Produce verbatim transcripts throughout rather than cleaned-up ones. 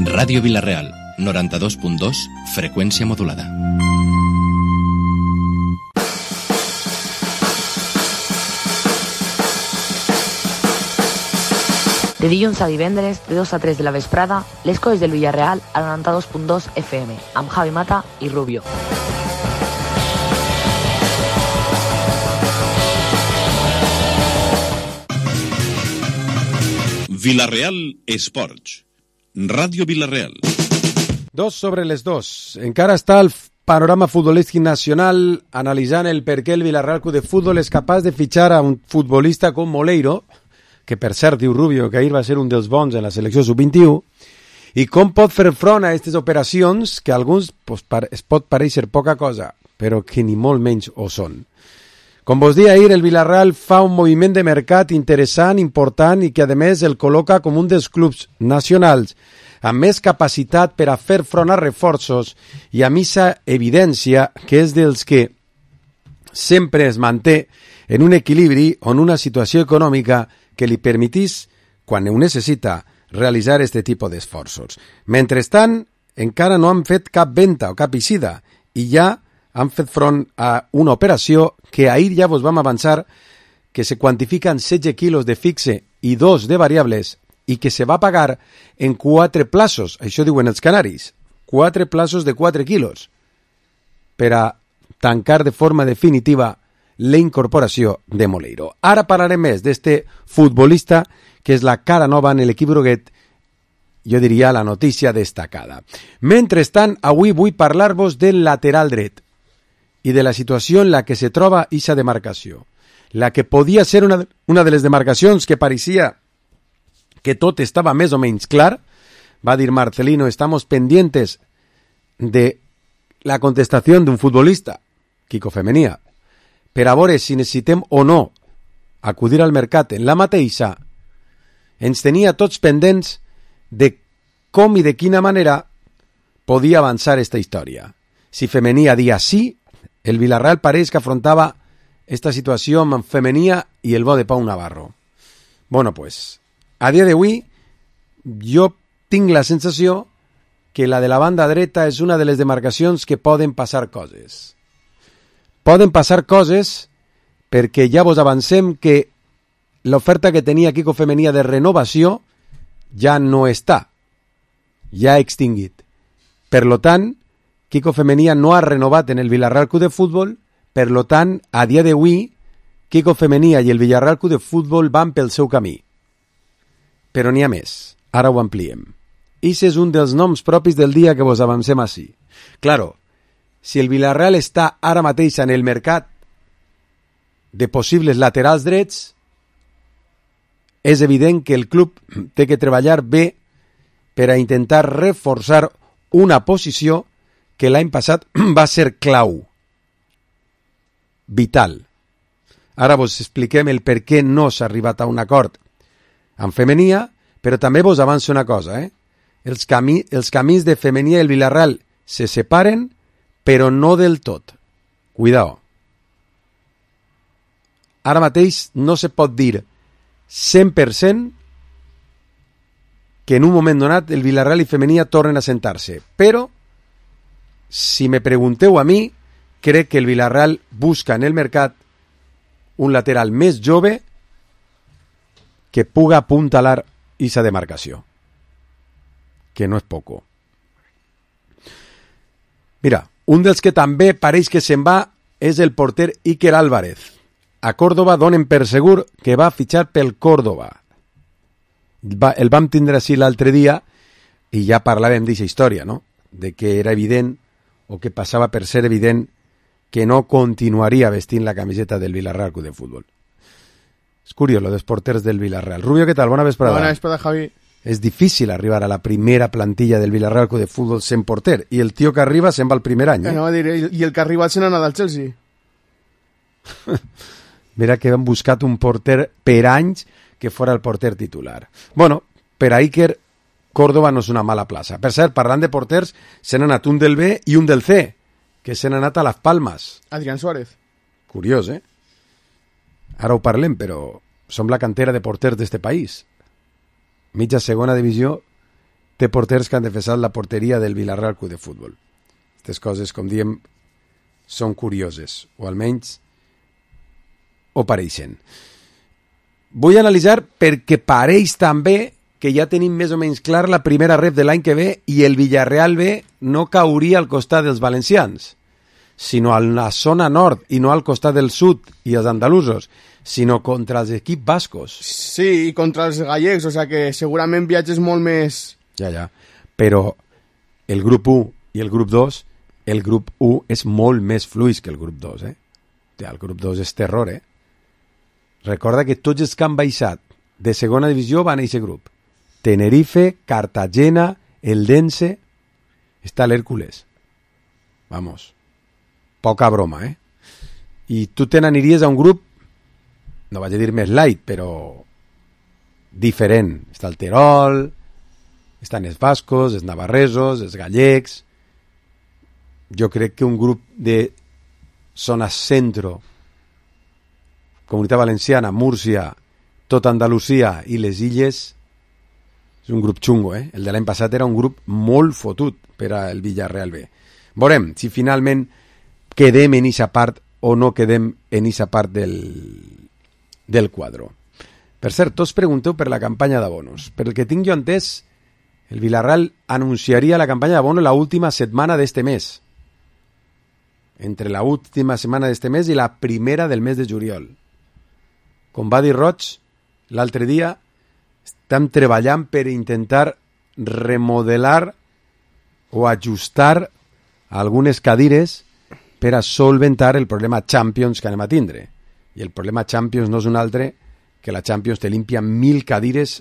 Ràdio Vila-real, noranta-dos punt dos, freqüència modulada. De dilluns a divendres, de dos a tres de la vesprada, les coses del Villarreal a noranta-dos punt dos F M, amb Javi Mata i Rubio. Vila-real Esports. Ràdio Vila-real. Dos sobre les dos. Encara està el panorama futbolístic nacional analitzant el per què el Villarreal Club de Futbol és capaç de fitxar a un futbolista com Moleiro, que per cert diu Rubio que ahir va ser un dels bons en la selecció sub vint-i-u, i com pot fer front a aquestes operacions que a alguns pues, es pot pareixer poca cosa, però que ni molt menys ho són. Com vos dia ahir, el Villarreal fa un moviment de mercat interessant, important i que a més el col·loca com un dels clubs nacionals amb més capacitat per a fer front a reforços i a missa evidència que és dels que sempre es manté en un equilibri o en una situació econòmica que li permetís, quan ho necessita, realitzar aquest tipus d'esforços. Mentrestant, encara no han fet cap venda o cap eixida i ja han fet front a una operació que ahir ja vos vam avançar que se quantifiquen setze quilos de fixe i dos de variables i que se va pagar en quatre plaços, això diuen els canaris, quatre plaços de quatre quilos, per a tancar de forma definitiva la incorporació de Moleiro. Ara parlarem més d'este futbolista que és la cara nova en l'equip groguet, jo diria la notícia destacada. Mentrestant, avui vull parlar-vos del lateral dret i de la situació en la que se troba aquesta demarcació. La que podia ser una, una de les demarcacions que pareixia que tot estava més o menys clar, va dir Marcelino, estamos pendientes de la contestació d'un futbolista, Quico Femenía, per a veure si necessitem o no acudir al mercat en la mateixa, ens tenia tots pendents de com i de quina manera podia avançar esta història. Si Femenía dia sí, el Villarreal pareix que afrontava esta situació amb Femenía i el bo de Pau Navarro. Bueno, pues, a dia d'avui, jo tinc la sensació que la de la banda dreta és una de les demarcacions que poden passar coses. Poden passar coses perquè ja vos avancem que l'oferta que tenia Quico Femenía de renovació ja no està, ja ha extingit. Per lo tant, Quico Femenía no ha renovat en el Villarreal Club de Futbol, per lo tant, a dia d'avui, Quico Femenía i el Villarreal Club de Futbol van pel seu camí. Però n'hi ha més, ara ho ampliem. Ix és un dels noms propis del dia que vos avancem així. Claro, si el Villarreal està ara mateix en el mercat de possibles laterals drets, és evident que el club té que treballar bé per a intentar reforçar una posició que l'any passat va ser clau, vital. Ara vos expliquem el per què no s'ha arribat a un acord amb Femenía, però també vos avanço una cosa, eh? Els, camí, els camins de Femenía i el Villarreal se separen, però no del tot. Cuidao. Ara mateix no se pot dir cent per cent que en un moment donat el Villarreal i Femenía tornen a sentar-se, però si me pregunteu a mi, crec que el Villarreal busca en el mercat un lateral més jove que puga apuntalar esa demarcació, que no és poco. Mira, un dels que també pareix que se'n va és el porter Iker Álvarez. A Córdoba donen per segur que va fitxar pel Córdoba. Va, el vam tindre així l'altre dia i ja parlàvem d'aquesta història, no? De que era evident o que passava per ser evident que no continuaria vestint la camiseta del Villarreal Club de Futbol. És curiós, lo dels porters del Villarreal. Rubio, què tal? Bona vesprada. Bona vesprada, Javi. És difícil arribar a la primera plantilla del Villarreal Club de Futbol sent porter, i el tio que arriba se'n va el primer any. Eh? No, dir, i el que ha arribat se n'ha anat al Chelsea. Mira que han buscat un porter per anys que fora el porter titular. Bueno, per a Iker, Córdoba no és una mala plaça. Per cert, parlant de porters, se n'ha anat un del B i un del C, que se n'ha anat a Las Palmas. Adrián Suárez. Curiós, eh? Ara ho parlem, però som la cantera de porters d'este país. mitja segona divisió, té porters que han defensat la porteria del Villarreal Club de Futbol. Aquestes coses, com diem, són curioses, o almenys ho pareixen. Vull analitzar perquè pareix també que ja tenim més o menys clar la primera ref de l'any que ve i el Villarreal B no cauria al costat dels valencians, sinó a la zona nord i no al costat del sud i els andalusos, sinó contra els equips bascos. Sí, i contra els gallecs, o sigui que segurament viatges molt més... Ja, ja, però el grup u i el grup dos, el grup u és molt més fluix que el grup dos, eh? El grup dos és terror, eh? Recorda que tots els que han baixat de segona divisió van a aquest grup. Tenerife, Cartagena, Eldense, està l'Hèrcules. Vamos, poca broma, eh? I tu te n'aniries a un grup, no vaig a dir més light, però diferent. Està el Terol, estan els bascos, els navarresos, els gallecs. Jo crec que un grup de zona centro, Comunitat Valenciana, Múrcia, tota Andalusia i les illes, és un grup xungo, eh? El de l'any passat era un grup molt fotut per al Villarreal B. Veurem si finalment quedem en eixa part o no quedem en eixa part del, del quadro. Per cert, tots pregunteu per la campanya d'abonos. Per el que tinc jo entès, el Villarreal anunciaria la campanya d'abonos la última setmana d'este mes. Entre la última setmana d'este mes i la primera del mes de juliol. Com va dir Roig l'altre dia, estem treballant per intentar remodelar o ajustar algunes cadires per a solventar el problema Champions que anem a tindre. I el problema Champions no és un altre que la Champions te limpia mil cadires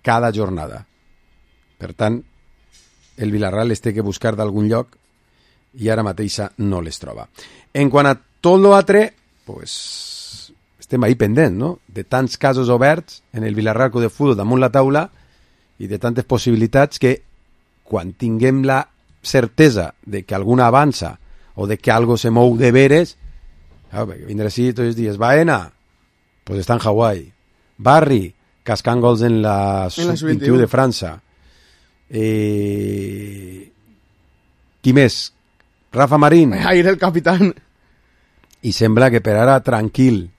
cada jornada. Per tant, el Villarreal es té que buscar d'algun lloc i ara mateixa no les troba. En quant a tot l'altre, pues, estem ahí pendent, no? De tants casos oberts en el Villarreal Club de Futbol damunt la taula i de tantes possibilitats que quan tinguem la certesa de que alguna avança o de que algo se mou de veres, ah, vindrà així tots els dies. Baena, pues està en Hawaii. Barri, cascant gols en la sub vint i u de França. Eh... Qui més? Rafa Marín. Ahir el capitán. I sembla que per ara tranquil.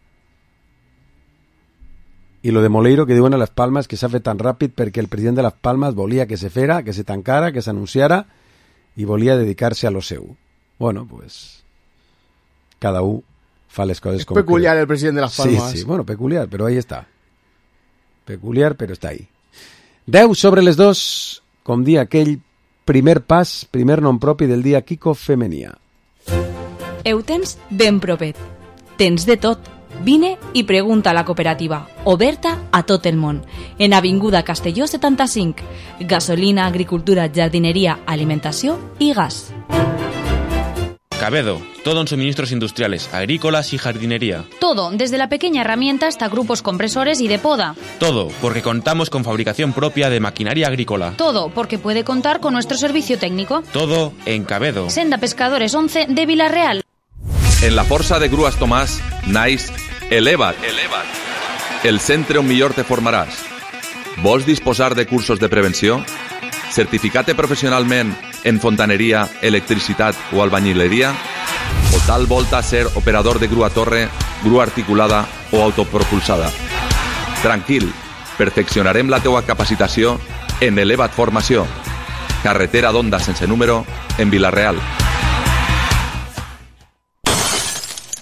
I lo de Moleiro, que diuen a Las Palmas que s'ha fet tan ràpid perquè el president de Las Palmas volia que se fera, que se tancara, que s'anunciara i volia dedicar-se a lo seu. Bueno, pues cada un fa les coses és com peculiar creu. El president de Las Palmas. Sí, sí, bueno, peculiar, però ahí està. Peculiar, però està ahí. deu sobre les dos, com dia aquell primer pas, primer nom propi del dia Kiko Femenia. Heu tens ben propet. Tens de tot. Vine i pregunta a la cooperativa, oberta a tot el món, en Avinguda Castelló setanta-cinc. Gasolina, agricultura, jardinería, alimentació i gas. Cabedo, todo en suministros industriales, agrícolas y jardinería. Todo, desde la pequeña herramienta hasta grupos compresores y de poda. Todo, porque contamos con fabricación propia de maquinaria agrícola. Todo, porque puede contar con nuestro servicio técnico. Todo en Cabedo. Senda Pescadores once de Villarreal. En la Força de Grues Tomàs, naix Eleva't. Eleva't. El centre on millor te formaràs. Vols disposar de cursos de prevenció? Certificat-te professionalment en fontaneria, electricitat o albañileria? O tal volta ser operador de grua torre, grua articulada o autopropulsada? Tranquil, perfeccionarem la teua capacitació en Eleva't Formació. Carretera d'Onda sense número en Vilareal.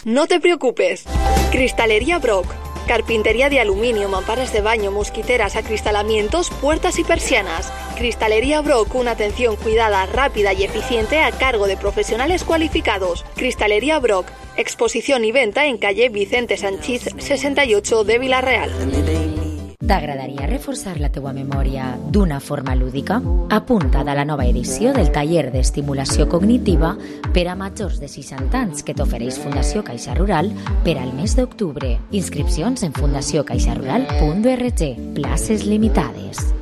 No te preocupes. Cristalería Brock. Carpintería de aluminio, mamparas de baño, mosquiteras, acristalamientos, puertas y persianas. Cristalería Brock, una atención cuidada, rápida y eficiente a cargo de profesionales cualificados. Cristalería Brock, exposición y venta en calle Vicente Sanchís sesenta y ocho de Vilareal. T'agradaria reforçar la teua memòria d'una forma lúdica? Apunta't a la nova edició del taller d'estimulació cognitiva per a majors de seixanta anys que t'ofereix Fundació Caixa Rural per al mes d'octubre. Inscripcions en fundació caixa rural punt org. Places limitades.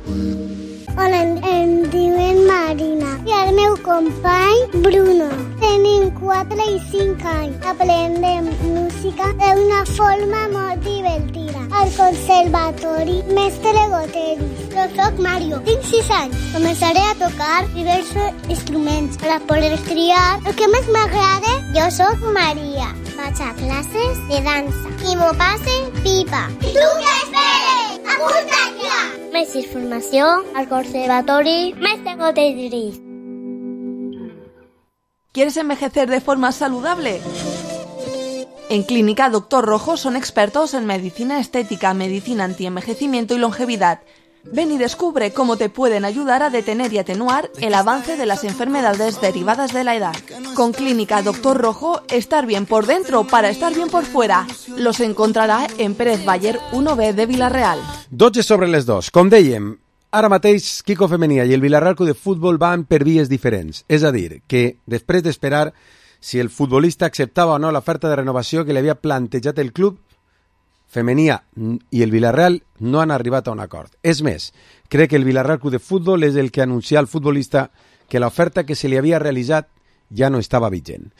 Hola, em diuen Marina i el meu company Bruno. Tenim quatre i cinc anys. Aprendem música d'una forma molt divertida. Al conservatori Mestre Goteris. Jo soc Mario, tinc sis anys. Començaré a tocar diversos instruments per a poder triar el que més m'agrada. Jo soc Maria. Vaig a classes de dansa i m'ho passe pipa. I tu què esperes? Apunta't ja! Més informació al conservatori Mestre Goteris. ¿Quieres envejecer de forma saludable? En Clínica Doctor Rojo son expertos en medicina estética, medicina antienvejecimiento y longevidad. Ven y descubre cómo te pueden ayudar a detener y atenuar el avance de las enfermedades derivadas de la edad. Con Clínica Doctor Rojo, estar bien por dentro para estar bien por fuera. Los encontrarà en Pérez Bayer uno B de Vilareal. dotze sobre les dos. Com dèiem, ara mateix Quico Femenia i el Vilareal Club de Futbol van per vies diferents. És a dir, que després d'esperar si el futbolista acceptava o no l'oferta de renovació que li havia plantejat el club, Femenia i el Vilareal no han arribat a un acord. És més, crec que el Vilareal Club de Futbol és el que anuncia al futbolista que l'oferta que se li havia realitzat ja no estava vigent.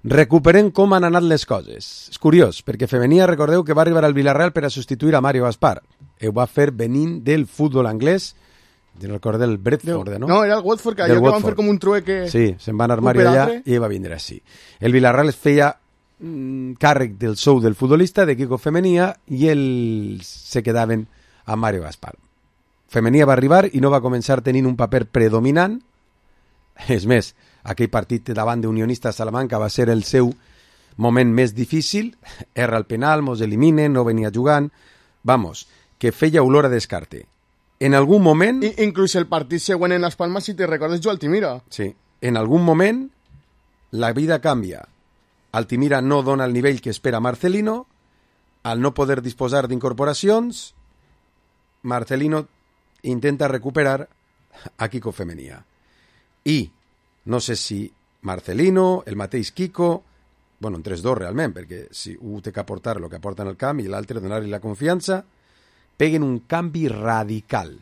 Recuperem com han anat les coses. És curiós, perquè Femenia, recordeu que va arribar al Vilareal per a substituir a Mario Gaspar. Ho va fer venint del futbol anglès, no recordo del Bradford, no? No, era el Watford, que allò que van fer com un trueque... Sí, se'n va anar Mario allà i va vindre així. El Vilareal es feia mm, càrrec del sou del futbolista, de Quico Femenia, i ells se quedaven a Mario Gaspar. Femenia va arribar i no va començar tenint un paper predominant. És més, aquell partit davant d'Unionista Salamanca va ser el seu moment més difícil. Erra el penal, mos eliminen, no venia jugant. Vamos, que feia olor a descarte. En algun moment... I, inclús el partit següent en Las Palmas, si te recordes, jo Altimira. Sí, en algun moment la vida canvia. Altimira no dona el nivell que espera Marcelino, al no poder disposar d'incorporacions, Marcelino intenta recuperar a Quico Femenia. I no sé si Marcelino, el mateix Quico, bueno, entre els dos realment, perquè si un té que aportar el que aporta en el camp i l'altre donar-li la confiança, peguen un canvi radical,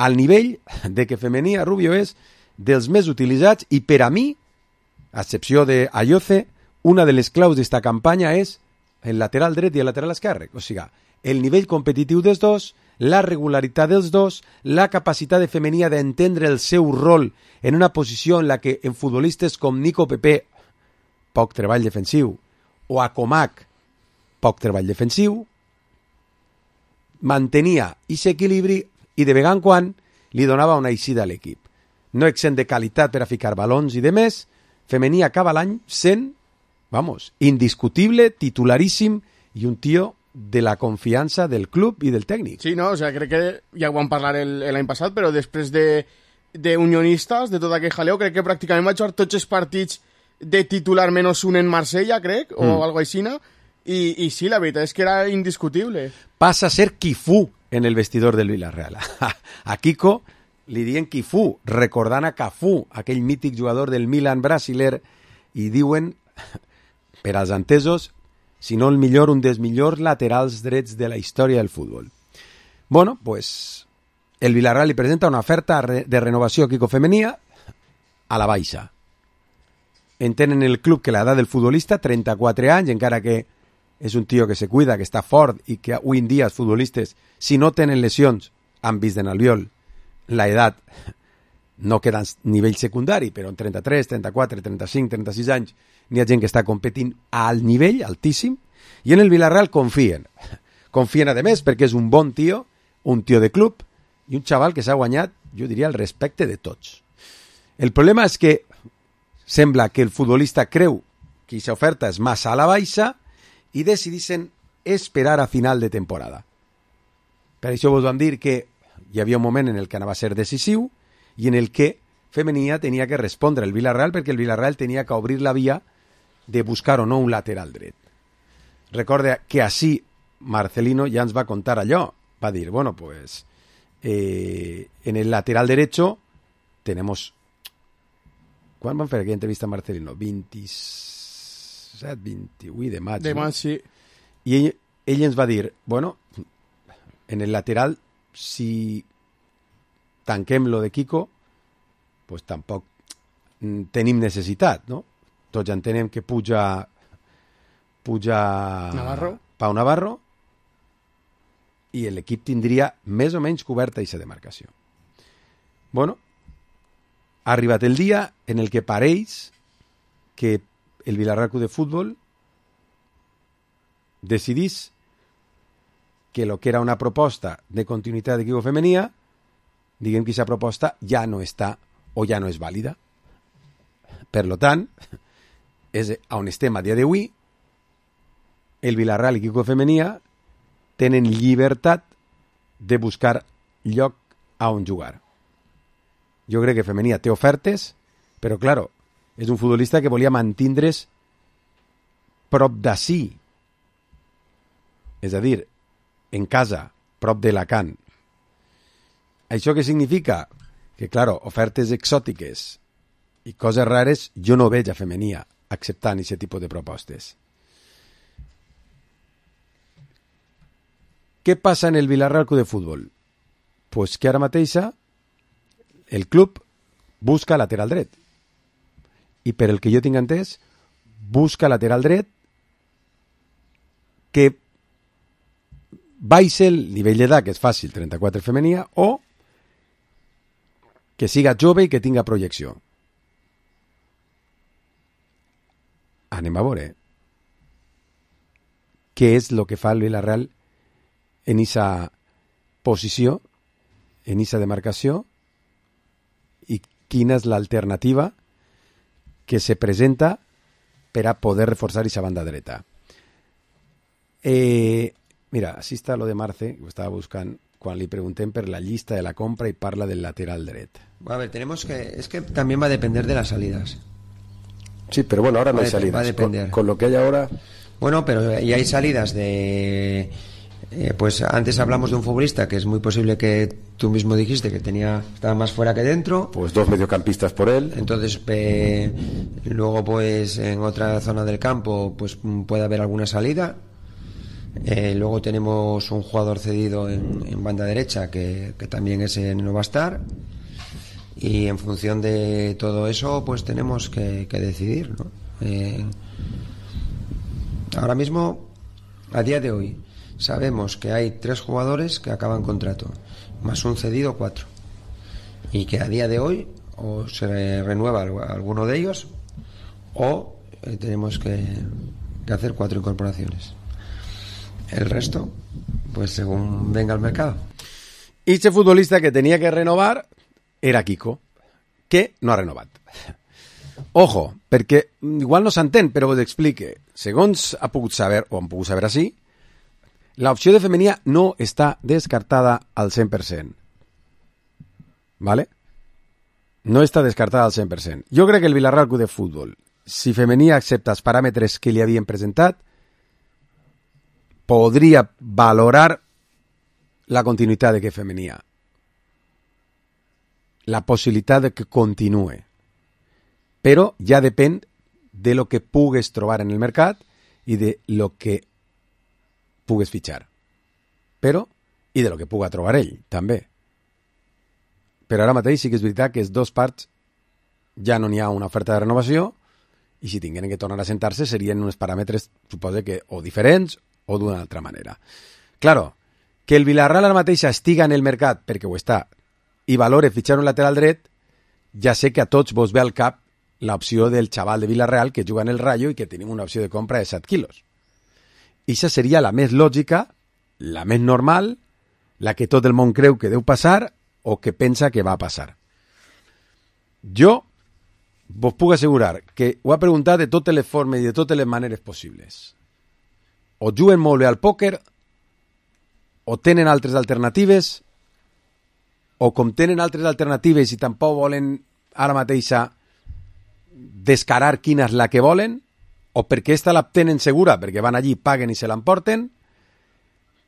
al nivell de que Femenia Rubio és dels més utilitzats i per a mi, a excepció de Ayoce, una de les claus d'esta campanya és el lateral dret i el lateral esquerre. O sigui, el nivell competitiu dels dos, la regularitat dels dos, la capacitat de Femenia d'entendre el seu rol en una posició en la que en futbolistes com Nico Pepe, poc treball defensiu, o a Comac, poc treball defensiu, mantenia aquest equilibri i de vegada en quan li donava una eixida a l'equip. No exempt de qualitat per a ficar balons i de més, Femenia acaba l'any sent, vamos, indiscutible, titularíssim i un tio de la confiança del club i del tècnic. Sí, no, o sea, crec que ja ho vam parlar l'any passat, però després de, de unionistes, de tot aquell jaleo, crec que pràcticament va jugar tots els partits de titular menys un en Marsella, crec, o mm. algo així, i, i sí, la veritat és que era indiscutible. Passa a ser Quifú en el vestidor del Villarreal. A Quico li diuen Quifú, recordant a Cafú, aquell mític jugador del Milan brasiler, i diuen, per als entesos, si no el millor, un dels millors laterals drets de la història del futbol. Bueno, pues el Villarreal li presenta una oferta de renovació a Quico Femenia a la baixa. Entenen el club que l'edat del futbolista, trenta-quatre anys, encara que és un tio que se cuida, que està fort i que avui en dia els futbolistes, si no tenen lesions, han vist en Albiol, la edat no queda en nivell secundari, però en trenta-tres, trenta-quatre, trenta-cinc, trenta-sis anys n'hi ha gent que està competint al nivell altíssim i en el Villarreal confien. Confien a més perquè és un bon tio, un tio de club i un xaval que s'ha guanyat, jo diria, el respecte de tots. El problema és que sembla que el futbolista creu que aquesta oferta és massa a la baixa i decidissin esperar a final de temporada. Per això vos vam dir que hi havia un moment en el que anava a ser decisiu i en el que Femenia tenia que respondre al Villarreal perquè el Villarreal tenia que obrir la via de buscar o no un lateral dret. Recorda que així Marcelino ja ens va contar allò. Va dir, bueno, pues eh, en el lateral derecho tenemos... ¿Quan van fer aquella entrevista a Marcelino? vint-i-set, vint-i-vuit de maig. De maig, sí. I ell, ell ens va dir, bueno, en el lateral, si tanquem lo de Quico, pues tampoc tenim necessitat, no? tots ja entenem que puja puja Navarro. Pau Navarro, i l'equip tindria més o menys coberta aquesta demarcació. Bueno, ha arribat el dia en el que pareix que el Villarreal Club de Fútbol decidís que lo que era una proposta de continuïtat d'equip femenia, diguem que aquesta proposta ja no està o ja no és vàlida. Per lo tant, és on estem a dia d'avui, el Villarreal i equip femenia tenen llibertat de buscar lloc a on jugar. Jo crec que femenia té ofertes, però, claro, és un futbolista que volia mantindre's prop d'ací. És a dir, en casa, prop d'Alacant. Això què significa? Que, claro, ofertes exòtiques i coses rares jo no veig a femenia acceptant aquest tipus de propostes. Què passa en el Villarreal Club de Futbol? Pues que ara mateixa el club busca lateral dret. I per el que jo tinc entès, busca lateral dret que baixi el nivell d'edat, que és fàcil, trenta-quatre femenia, o que siga jove i que tinga projecció. Anem a veure què és el que fa el Villarreal en aquesta posició, en aquesta demarcació, i quina és l'alternativa que se presenta per a poder reforçar aquesta banda dreta. Eh, mira, així està lo de Marce, que ho estava buscant, quan li preguntem per la llista de la compra y parla del lateral dret. A ver, tenemos que... Es que también va a depender de las salidas. Sí, pero bueno, ahora no hay salidas. Va a depender. Con, con lo que hay ahora... Bueno, pero y hay salidas de... Eh, pues antes hablamos de un futbolista que es muy posible que tú mismo dijiste que tenía estaba más fuera que dentro. Pues dos mediocampistas por él. Entonces, eh, luego pues en otra zona del campo pues puede haber alguna salida. Eh, luego tenemos un jugador cedido en, en banda derecha que, que también ese no va a estar, y en función de todo eso pues tenemos que, que decidir, ¿no? Eh, ahora mismo, a día de hoy, sabemos que hay tres jugadores que acaban contrato, más un cedido, cuatro, y que a día de hoy o se renueva alguno de ellos o eh, tenemos que, que hacer cuatro incorporaciones. El resto, pues según venga el mercado. Y este futbolista que tenía que renovar era Kiko, que no ha renovat. Ojo, perquè igual no s'entén, però us explique. Segons ha pogut saber, o han pogut saber així, l'opció de femenia no està descartada al cent per cent. ¿Vale? No està descartada al cent per cent. Jo crec que el Villarreal Club de Futbol, si femenia accepta els paràmetres que li havien presentat, podria valorar la continuïtat de que femenia, la possibilitat de que continue, però ja depèn de lo que pugues trobar en el mercat i de lo que pugues fitxar, però i de lo que puga trobar ell també. Però ara mateix sí que és veritat que els dos parts ja no n'hi ha una oferta de renovació, i si tingueren que tornar a sentar-se serien uns paràmetres, suposo que o diferents o d'una altra manera. Claro, que el Villarreal ara mateix estiga en el mercat, perquè ho està, i valore fitxar un lateral dret, ja sé que a tots vos ve al cap l'opció del xaval de Villarreal que juga en el Rayo i que tenim una opció de compra de set quilos. I això seria la més lògica, la més normal, la que tot el món creu que deu passar o que pensa que va passar. Jo vos puc assegurar que ho ha preguntat de totes les formes i de totes les maneres possibles. O juguen molt bé al pòquer, o tenen altres alternatives, o com tenen altres alternatives i tampoc volen ara mateixa descarar quina és la que volen, o perquè esta la tenen segura, perquè van allí, paguen i se l'emporten,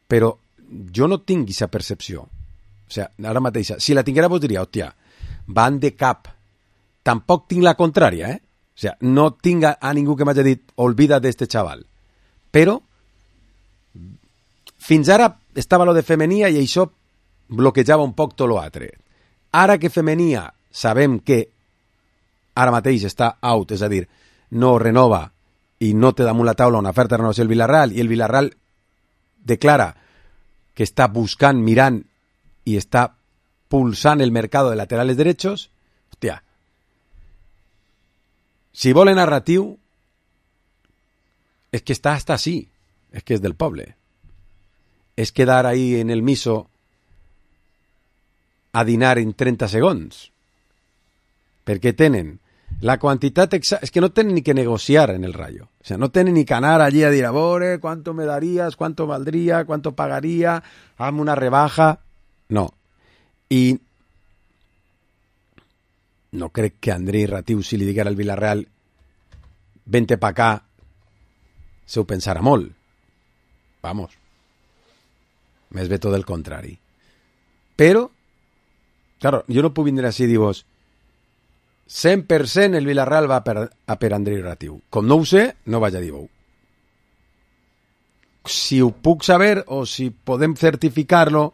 però jo no tinc aquesta percepció. O sigui, ara mateixa, si la tinguera vos diria, hòstia, van de cap. Tampoc tinc la contrària, eh? O sigui, no tinc a, a ningú que m'hagi dit, olvida d'este xaval. Però fins ara estava lo de femenia i això bloquejava un poc tot l'altre. Ara que femenia sabem que ara mateix està out, és a dir, no renova i no té damunt la taula una oferta de renovació del Villarreal i el Villarreal declara que està buscant, mirant i està pulsant el mercado de laterales derechos, hòstia, si volen narratiu és que està hasta así, és que és del poble. És quedar ahí en el miso a dinar en treinta segons. Perquè tenen la quantitat exacta, és que no tenen ni que negociar en el Rayo. O sea, no tenen ni que anar allí a dir, a veure, ¿cuánto me darías? ¿Cuánto valdría? ¿Cuánto pagaría? Hazme una rebaja. No. I no crec que Andrei Ratiu, si li diguera al Villarreal vente pa acá, se ho pensarà molt. Vamos. Més bé tot el contrari. Però, claro, jo no puc vindre així i dir-vos cent per cent el Villarreal va per, a per Andrei Ratiu. Com no ho sé, no vaig a dir-ho. Si ho puc saber o si podem certificar-lo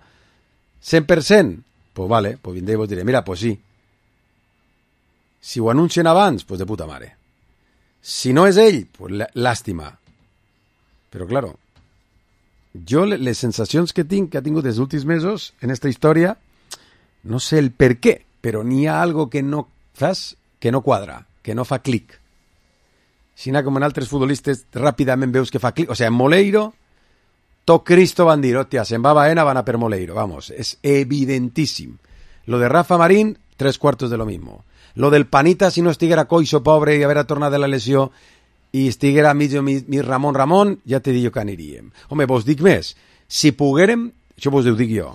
cent per cent, pues vale, pues vindré i vos diré, mira, pues sí. Si ho anuncien abans, pues de puta mare. Si no és ell, pues làstima. Però, claro, jo les sensacions que tinc, que ha tingut els últims mesos en esta història, no sé el per què, però n'hi ha algo que no fas, que no quadra, que no fa clic. Si n'hi com en altres futbolistes, ràpidament veus que fa clic. O sigui, en Moleiro, tot Cristo van dir, hòstia, se'n va a Baena, van a per Moleiro. Vamos, és evidentíssim. Lo de Rafa Marín, tres cuartos de lo mismo. Lo del Panita, si no estiguera coixo, pobre, i haver tornat de la lesió, i estiguera mig mi, mi Ramon Ramon, ja te dic jo que aniríem. Home, vos dic més. Si poguérem, això vos ho dic jo,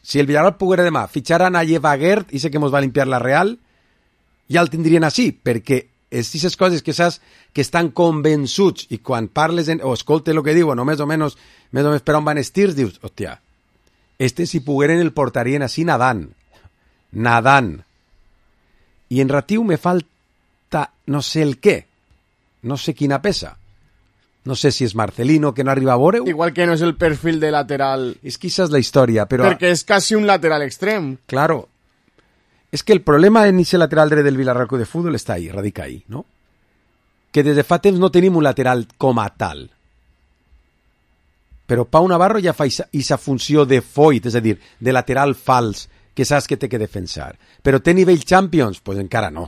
si el Villarreal poguera demà fitxar a Nayev Aguert, i sé que mos va limpiar la Real, ja el tindrien així, perquè aquestes coses que saps que estan convençuts i quan parles en, o escoltes el que diuen, o més o menys, més o menys per on van estirs, dius, hòstia, este si pogueren el portarien així nadant. Nadant. I en Ratiu me falta no sé el què. No sé quina pesa. No sé si és Marcelino, que no arriba a veure-ho. Igual que no és el perfil de lateral. És que això és la història, però... Perquè és quasi un lateral extrem. Claro. És que el problema en ese lateral dret del Villarreal de Fútbol està ahí, radica ahí, no? Que des de fa temps no tenim un lateral com a tal. Però Pau Navarro ja fa aquesta funció de foit, és a dir, de lateral fals, que saps que té que defensar. Però té nivell Champions? Pues encara no.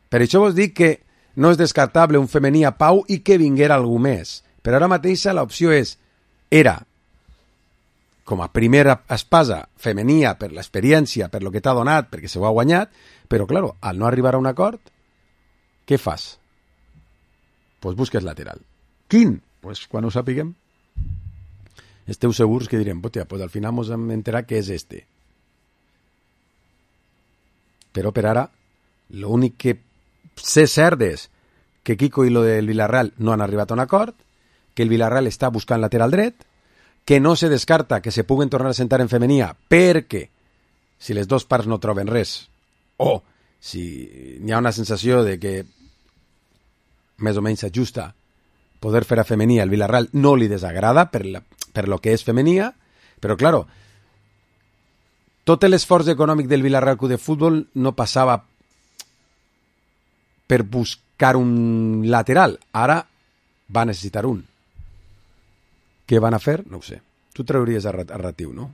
Per això vos dic que no és descartable un femení a Pau i que vinguera algú més. Però ara mateixa l'opció és, era, com a primera espasa femenia per l'experiència, per lo que t'ha donat, perquè se ho ha guanyat, però, claro, al no arribar a un acord, què fas? Pues busques lateral. Quin? Pues quan ho sapiguem. Esteu segurs que direm, hòstia, pues al final mos hem enterat que és este. Però per ara, l'únic que sé cert és que Kiko i lo del Villarreal no han arribat a un acord, que el Villarreal està buscant lateral dret, que no se descarta que se puguen tornar a sentar en femenia perquè si les dues parts no troben res o si n'hi ha una sensació de que més o menys s'ajusta poder fer a femenia, el Villarreal no li desagrada per, la, per lo que és femenia, però claro, tot l'esforç econòmic del Villarreal Club de Futbol no passava per buscar un lateral. Ara va necessitar un. Què van a fer? No ho sé. Tu trauries a, a Ratiu, no?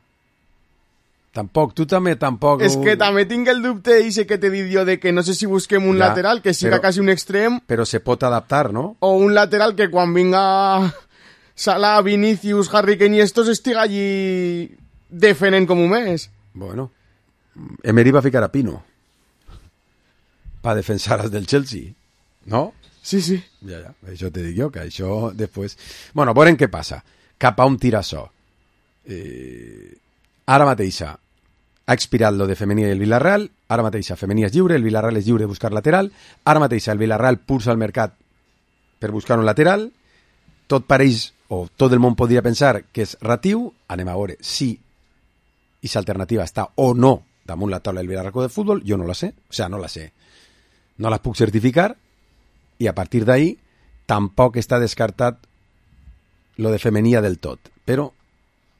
Tampoc, tu també tampoc... És que també tinc el dubte i que t'he dit jo de que no sé si busquem un ja, lateral que siga però, quasi un extrem... Però se pot adaptar, no? O un lateral que quan vinga Salah, Vinicius, Harry Kane i estos estiga allí defenent com un mes. Bueno, Emery va ficar a Pino para defensar als del Chelsea, ¿no? Sí, sí. Ja, ja, això te dic jo, que això després... Bueno, veurem què passa. Cap a un tira açò. Eh, ara mateixa ha expirat lo de femení i el Villarreal, ara mateixa femení és lliure, el Villarreal és lliure de buscar lateral, ara mateixa el Villarreal pulsa el mercat per buscar un lateral, tot pareix, o tot el món podria pensar que és Ratiu, anem a veure si aquesta alternativa està o no damunt la taula del Villarreal de Futbol, jo no la sé, o sigui, no la sé, no la puc certificar, i a partir d'ahí tampoc està descartat lo de femenia del tot, però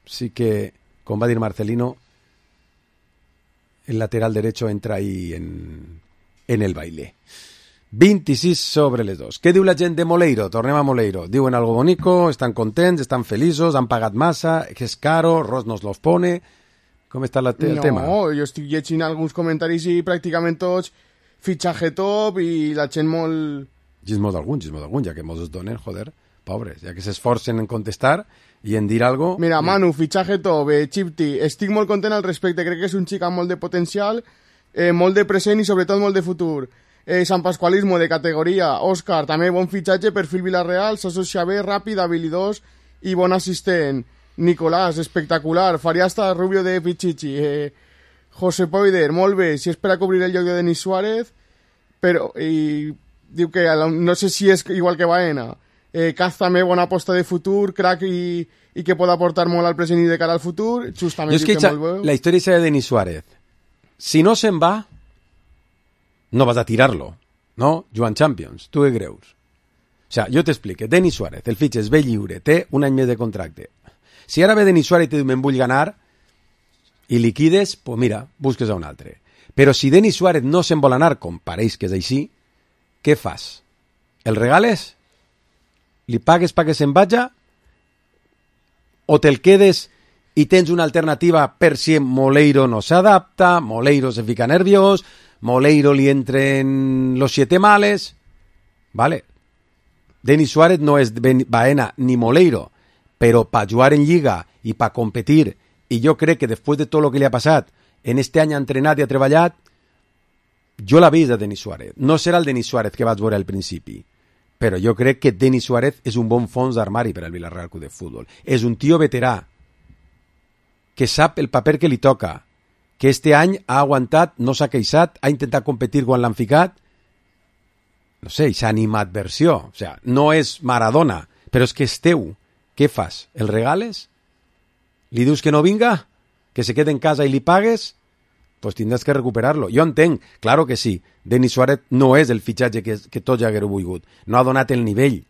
sí que, com va dir Marcelino, el lateral derecho entra ahí en, en el baile. vint-i-sis sobre les dos. Què diu la gent de Moleiro? Tornem a Moleiro. Diuen algo bonico, estan contents, estan feliços, han pagat massa, que és caro, Ross nos los pone... Com està la te el no, tema? No, jo estic llegint alguns comentaris i pràcticament tots fitxatge top i la gent molt... Gismo d'algun, gismo d'algun, ja que mos es donen, joder, pobres, ja que s'esforcen en contestar i en dir algo... Mira, Manu, fitxatge top, eh, Chipti, estic molt content al respecte, crec que és un xic amb molt de potencial, eh, molt de present i sobretot molt de futur. Eh, Sant Pasqualismo de categoria, Òscar, també bon fitxatge, perfil Villarreal, s'associa bé, ràpid, habilidós i bon assistent. Nicolás, espectacular, faria hasta Rubio de Pichichi. Eh, José Poider, molt bé, si és per a cobrir el lloc de Denis Suárez, però i diu que no sé si és igual que Baena. Eh, Caz també bona aposta de futur, crack i, i que pot aportar molt al present i de cara al futur. Justament jo és que, que molt bé. La història és de Denis Suárez. Si no se'n va, no vas a tirarlo, no? Joan Champions, tu què creus? O sea, jo t'explique, Denis Suárez, el fitxes ve lliure, té un any més de contracte. Si ara ve Denis Suárez i te diu me'n vull ganar i liquides, pues mira, busques a un altre. Però si Denis Suárez no se'n vol anar, com pareix que és així, què fas? El regales? Li pagues perquè se'n vaja? O te'l quedes i tens una alternativa per si Moleiro no s'adapta, Moleiro se fica nerviós, Moleiro li entren los siete males? Vale. Denis Suárez no és Baena ni Moleiro, però per jugar en Lliga i per competir, i jo crec que després de tot el que li ha passat, en este any ha entrenat i ha treballat, jo l'ha vist a Denis Suárez. No serà el Denis Suárez que vaig veure al principi, però jo crec que Denis Suárez és un bon fons d'armari per al Villarreal Club de Futbol. És un tio veterà, que sap el paper que li toca, que este any ha aguantat, no s'ha queixat, ha intentat competir quan l'han ficat, no sé, i s'ha animat versió. O sea, no és Maradona, però és que és teu. Què fas? El regales? Li dius que no vinga? Que se quede en casa i li pagues? Pues tindràs que recuperar-lo. Jo entenc, claro que sí, Denis Suárez no és el fitxatge que, que tots ja haguéreu volgut. No ha donat el nivell.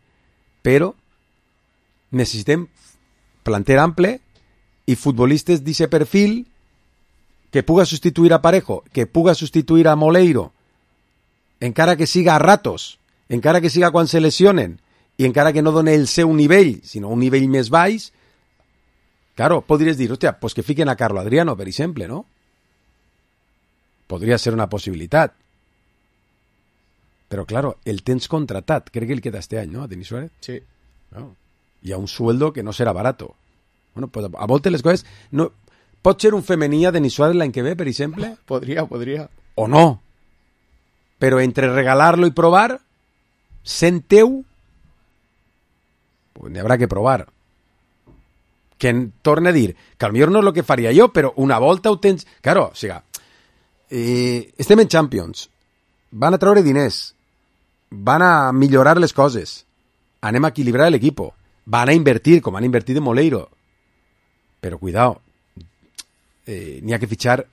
Però necessitem planter ample i futbolistes d'aquest perfil que puga substituir a Parejo, que puga substituir a Moleiro, encara que siga a ratos, encara que siga quan se lesionen, i encara que no doni el seu nivell, sinó un nivell més baix, claro, podries dir, hòstia, pues que fiquen a Carlo Adriano, per exemple, no? Podria ser una possibilitat. Però, claro, el tens contratat. Crec que el queda este any, ¿no? A Denis Suárez. Sí. No. Y a un sueldo que no serà barato. Bueno, pues a voltes les coses... No... Pot ser un femení a Denis Suárez l'any que ve, per exemple? Podria, podria. O no. Però entre regalar-lo i provar, sent teu, pues n'hi haurà que provar. Que torne a dir, que potser no és el que faria jo, però una volta ho tens... Claro, o sigui, eh, estem en Champions, van a treure diners, van a millorar les coses, anem a equilibrar l'equip, van a invertir, com han invertit en Moleiro. Però cuidado, eh, n'hi ha que fitxar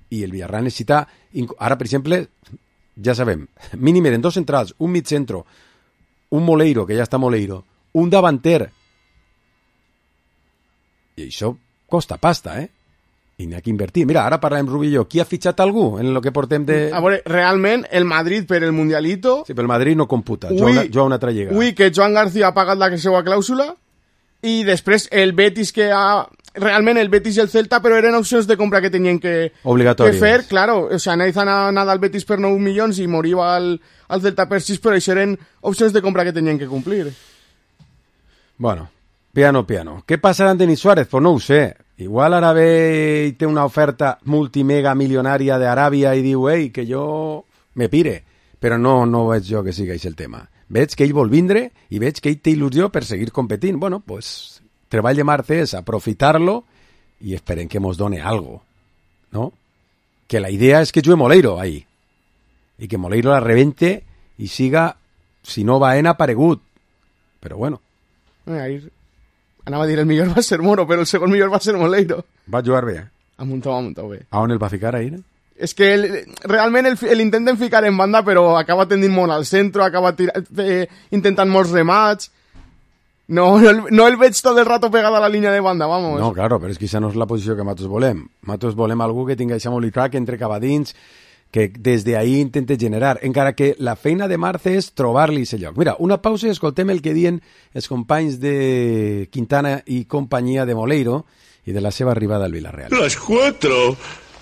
i el Villarreal necessita... Ara, per exemple, ja sabem, mínim eren dos centrals, un mig centro, un Moleiro, que ja està Moleiro, un davanter. I això costa pasta, eh? I n'hi ha que invertir. Mira, ara parlem Rubi i jo. Qui ha fitxat algú en el que portem de... A veure, realment, el Madrid per el Mundialito... Sí, però el Madrid no computa. Ui, jo una altra lligada. Ui, que Joan García ha pagat la seva clàusula i després el Betis que ha... Realment el Betis i el Celta, però eren opcions de compra que tenien que, que fer. Claro, o sea, Nathan ha anat al Betis per nou milions i moria al, al Celta per sis, però això eren opcions de compra que tenien que complir. Bueno, piano, piano. Què passarà amb Denis Suárez? Pues no ho sé. Igual ara ve i té una oferta multimega milionària d'Aràbia i diu, ei, que jo me pire. Però no, no veig jo que sigui el tema. Veig que ell vol vindre i veig que ell té il·lusió per seguir competint. Bueno, pues, treball de Marte és aprofitar-lo i esperem que mos done algo, ¿no? Que la idea és que jugue Moleiro ahí i que Moleiro la rebente i siga, si no Baena, aparegut. Però bueno. Ahí anava a dir el millor va ser Moro, però el segon millor va ser Moleiro. Va jugar bé. Ha muntat, ha muntat bé. A on el va ficar ahí? No? És que el, realment el, el intenten ficar en banda, però acaba tendint molt al centre, acaba tira, eh, intentant molts remats. No, no, el, no el veig tot el rato pegat a la línia de banda, vamos. No, claro, però és que això no és la posició que nosaltres volem. Nosaltres volem algú que tingui això molt clar, que entre cap a dins, que des d'ahir intenta generar, encara que la feina de Marce és trobar-li aquest lloc. Mira, una pausa i escoltem el que diuen els companys de Quintana i companyia de Moleiro y de la seva arribada al Villarreal. Las cuatro.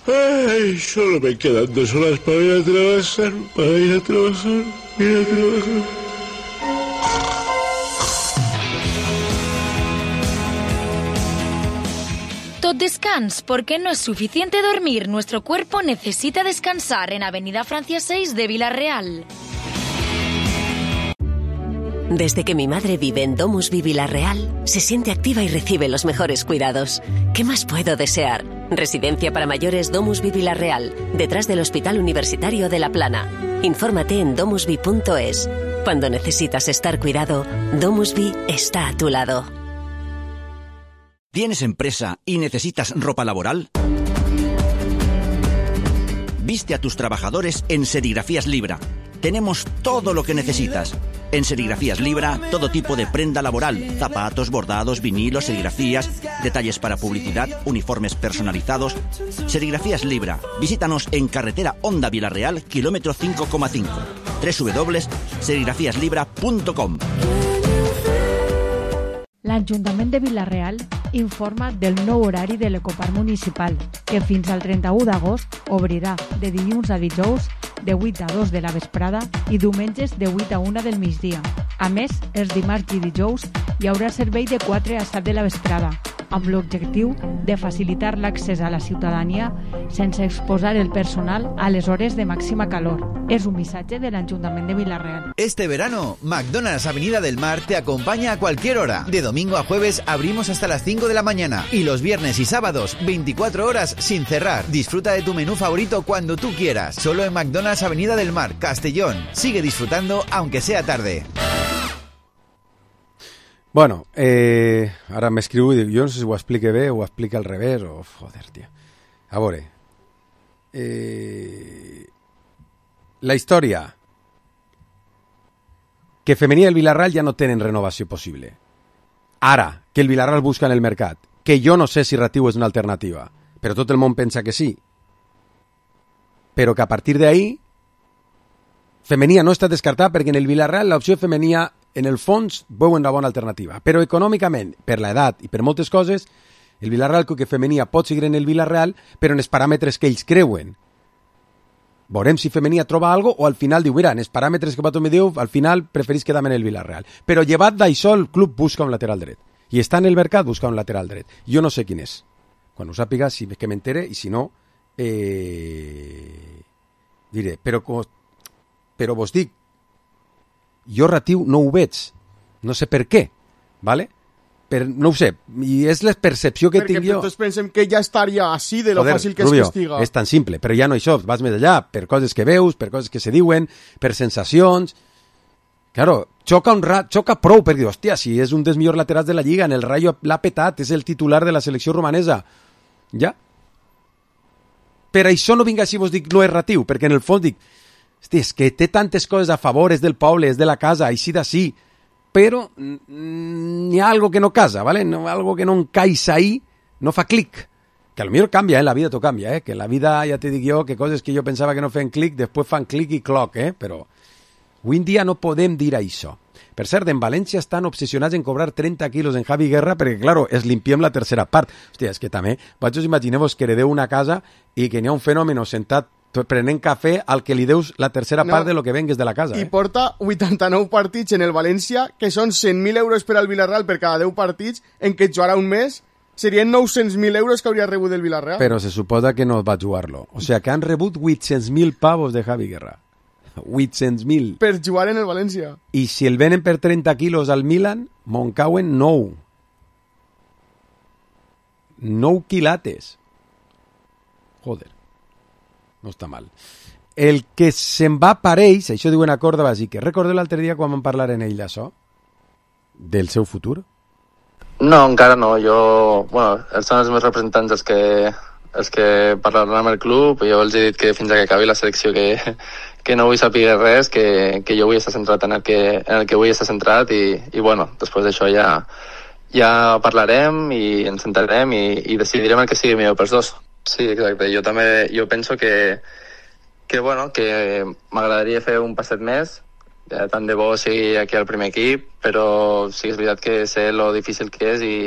Ay, solo me quedan dos horas para ir a trabajar, para ir a trabajar, ir a trabajar. Tot descans, porque no es suficiente dormir. Nuestro cuerpo necesita descansar en Avenida Francia seis de Villarreal. Desde que mi madre vive en Domusvi Villarreal, se siente activa y recibe los mejores cuidados. ¿Qué más puedo desear? Residencia para mayores Domusvi Villarreal, detrás del Hospital Universitario de La Plana. Infórmate en domusvi punto es. Cuando necesitas estar cuidado, Domusvi está a tu lado. ¿Tienes empresa y necesitas ropa laboral? Viste a tus trabajadores en Serigrafías Libra. Tenemos todo lo que necesitas. En Serigrafías Libra, todo tipo de prenda laboral, zapatos, bordados, vinilos, serigrafías, detalles para publicidad, uniformes personalizados. Serigrafías Libra. Visítanos en carretera Honda Villarreal, kilómetro cinco coma cinco. doble u doble u doble u punt serigrafías libra punto com. L'Ajuntament de Vila-real informa del nou horari de l'Ecoparc Municipal, que fins al trenta-u d'agost obrirà de dilluns a dijous de vuit a dos de la vesprada i diumenges de vuit a una del migdia. A més, els dimarts i dijous hi haurà servei de quatre a set de la vesprada, amb l'objectiu de facilitar l'accés a la ciutadania sense exposar el personal a les hores de màxima calor. Es un missatge de l'Ajuntament de Vila-real. Este verano, McDonald's Avenida del Mar te acompaña a cualquier hora. De domingo a jueves abrimos hasta las cinco de la mañana y los viernes y sábados veinticuatro horas sin cerrar. Disfruta de tu menú favorito cuando tú quieras. Solo en McDonald's Avenida del Mar, Castellón. Sigue disfrutando aunque sea tarde. Bueno, eh, ara m'escriu i dic, jo no sé si ho explique bé o ho explica al revés o... Joder, tia. A veure... Eh, la història... Que Femení i el Villarreal ja no tenen renovació possible. Ara, que el Villarreal busca en el mercat, que jo no sé si Ratiu és una alternativa, però tot el món pensa que sí. Però que a partir d'ahí, Femenia no està descartada perquè en el Villarreal l'opció Femenia, en el fons, veuen una bona alternativa. Però econòmicament, per l'edat i per moltes coses, el Villarreal que Femenia pot seguir en el Villarreal, però en els paràmetres que ells creuen. Veurem si Femenia troba algo o al final diu, mira, en els paràmetres que Pato me diu, al final preferís quedar-me en el Villarreal. Però llevat d'això, el club busca un lateral dret. I està en el mercat busca un lateral dret. Jo no sé quin és. Quan ho sàpiga, si que m'entere, i si no, eh... diré. Però, però vos dic, jo Ratiu no ho veig. No sé per què, ¿vale? Per, no ho sé, i és la percepció que Perquè tinc jo. Perquè tots pensem que ja estaria així de lo Joder, fàcil que Rubio, es castiga. és tan simple, però ja no això, vas més allà, per coses que veus, per coses que se diuen, per sensacions. Claro, xoca, un ra... xoca prou, perquè, hòstia, si és un dels millors laterals de la Lliga, en el Rayo l'ha petat, és el titular de la selecció romanesa. Ja? Per això no vinc així, vos dic, no és Ratiu, perquè en el fons dic, hosti, és que té tantes coses a favor, és del poble, és de la casa, així d'ací, però n'hi ha algo que no casa, ¿vale? No, algo que no encaixa ahí, no fa clic. Que a lo millor canvia, eh? La vida t'ho canvia, eh? Que la vida, ja te dic jo, que coses que jo pensava que no feien clic, després fan clic i cloc, eh? Però avui en dia no podem dir això. Per cert, en València estan obsessionats en cobrar trenta quilos en Javi Guerra perquè, claro, es limpiem la tercera part. Hòstia, és que també, vos imagineu-vos que heredeu una casa i que n'hi ha un fenomen sentat prenent cafè al que li deus la tercera no. part de lo que vengues de la casa. I Eh? porta vuitanta-nou partits en el València, que són cent mil euros per al Villarreal per cada deu partits, en què jugarà un mes, serien nou-cents mil euros que hauria rebut del Villarreal. Però se suposa que no va jugar-lo. O sea, que han rebut vuit-cents mil pavos de Javi Guerra. vuit-cents mil. Per jugar en el València. I si el venen per trenta quilos al Milan, Moncauen nou. Nou quilates. Joder. No està mal. El que se'n va pareix, això diu una corda bàsica. Recordeu l'altre dia quan vam parlar en ell d'això? Del seu futur? No, encara no. Jo, bueno, ells són els meus representants els que, els que parlaran amb el club. Jo els he dit que fins a que acabi la selecció que, que no vull saber res, que, que jo vull estar centrat en el que, en el que vull estar centrat i, i bueno, després d'això ja, ja parlarem i ens sentarem i, i decidirem el que sigui millor pels dos. Sí, exacte. Jo també jo penso que, que, bueno, que m'agradaria fer un passet més, ja tant de bo sigui aquí al primer equip, però sí que és veritat que sé lo difícil que és i,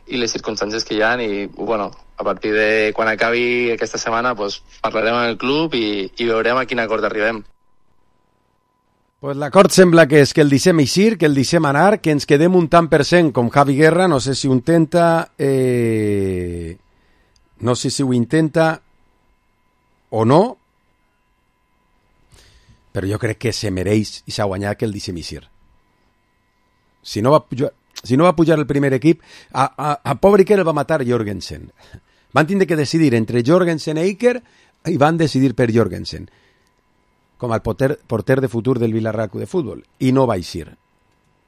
i les circumstàncies que hi ha, i bueno, a partir de quan acabi aquesta setmana pues, parlarem amb el club i, i veurem a quin acord arribem. Pues l'acord sembla que és que el deixem eixir, que el deixem anar, que ens quedem un tant per cent com Javi Guerra, no sé si ho intenta, eh... no sé si ho intenta o no, però jo crec que se mereix i s'ha guanyat que el deixem eixir. Si no va pujar, si no va pujar el primer equip, a, a, a pobre Iker el va matar Jorgensen. Van tindre que decidir entre Jorgensen i Iker i van decidir per Jorgensen com el porter, porter de futur del Villarreal Club de Futbol, i no va eixir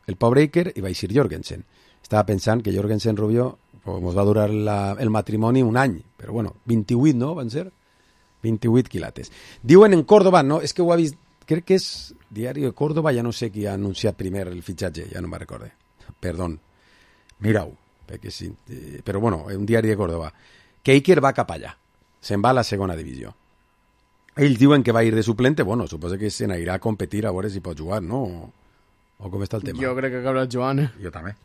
el pobre Iker i va eixir Jorgensen. Estava pensant que Jorgensen Rubió pues, va durar la, el matrimoni un any, però bueno, vint-i-vuit, no? Van ser vint-i-vuit quilates. Diuen en Córdoba, no? És que ho ha vist, crec que és Diari de Córdoba, ja no sé qui ha anunciat primer el fitxatge, ja no me'n recorde. Perdón, mira-ho, perquè sí, eh, però bueno, un Diari de Córdoba, que Iker va cap allà, se'n va a la segona divisió. Ells diuen que va ir de suplente, bueno, suposo que se n'anirà a competir a veure si pot jugar, no? O, o com està el tema? Jo crec que acabarà jugant. Jo també.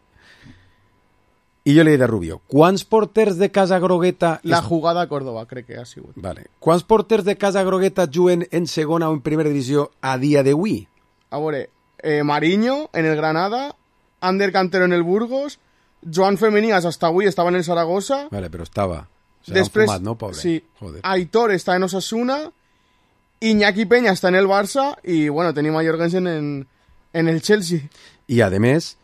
I jo li he dit a Rubio, quants porters de Casa Grogueta... La jugada a Córdoba, crec que ha sigut. Vale. Quants porters de Casa Grogueta juguen en segona o en primera divisió a dia d'avui? A veure, eh, Mariño en el Granada, Ander Cantero en el Burgos, Joan Femenías hasta avui estava en el Zaragoza... Vale, però estava... Després, fumat, no, pobre? Sí. Joder. Aitor està en Osasuna, Iñaki Peña està en el Barça i, bueno, tenim a Jorgensen en, en el Chelsea. I, a més,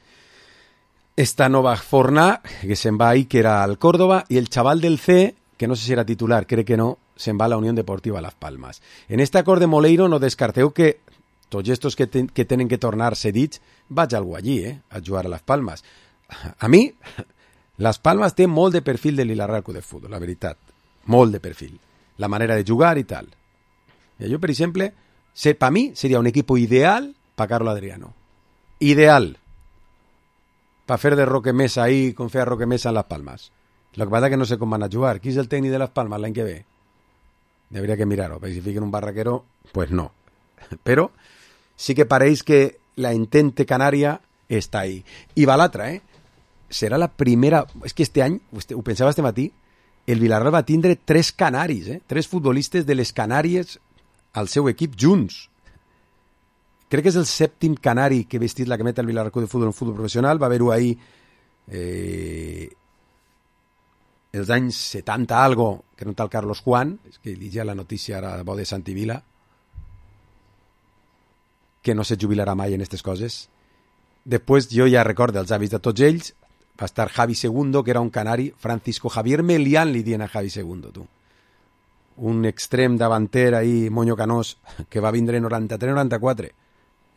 esta nova Forná, que se'n va ahí, que era al Córdoba, i el chaval del C, que no sé si era titular, crec que no, se'n va a la Unión Deportiva Las Palmas. En este acord de Moleiro no descarteu que tots estos que, ten, que tenen que tornar cedits vaig algú allí, eh, a jugar a Las Palmas. A mi, Las Palmas té molt de perfil de Villarreal Club de Futbol, la veritat. Molt de perfil. La manera de jugar i tal. I jo, per exemple, se, per mi seria un equip ideal per Carlo Adriano. Ideal. Per fer de Roque Mesa ahí, com feia Roque Mesa en Las Palmas. Lo que pasa que no sé com van a jugar. Qui és el tècnic de Las Palmas l'any que ve? Debería que mirar-ho. Si fiquen un barraquero, pues no. Però sí que pareix que la entente canària està ahí. I va l'altra, eh? Serà la primera... És que este any, ho pensava este matí, el Villarreal va tindre tres canaris, eh? Tres futbolistes de les Canàries al seu equip junts. Crec que és el sèptim canari que ha vestit la cameta del Villarreal Club de Futbol en futbol professional. Va haver-ho ahir eh, els anys setanta algo, que no tal Carlos Juan, és que llegia la notícia ara bo de Santi Vila, que no se jubilarà mai en aquestes coses. Després jo ja recordo els avis de tots ells. Va estar Javi Segundo, que era un canari, Francisco Javier Melián li dient a Javi Segundo, tu. Un extrem davanter ahí, moño canós, que va vindre en noranta-tres noranta-quatre,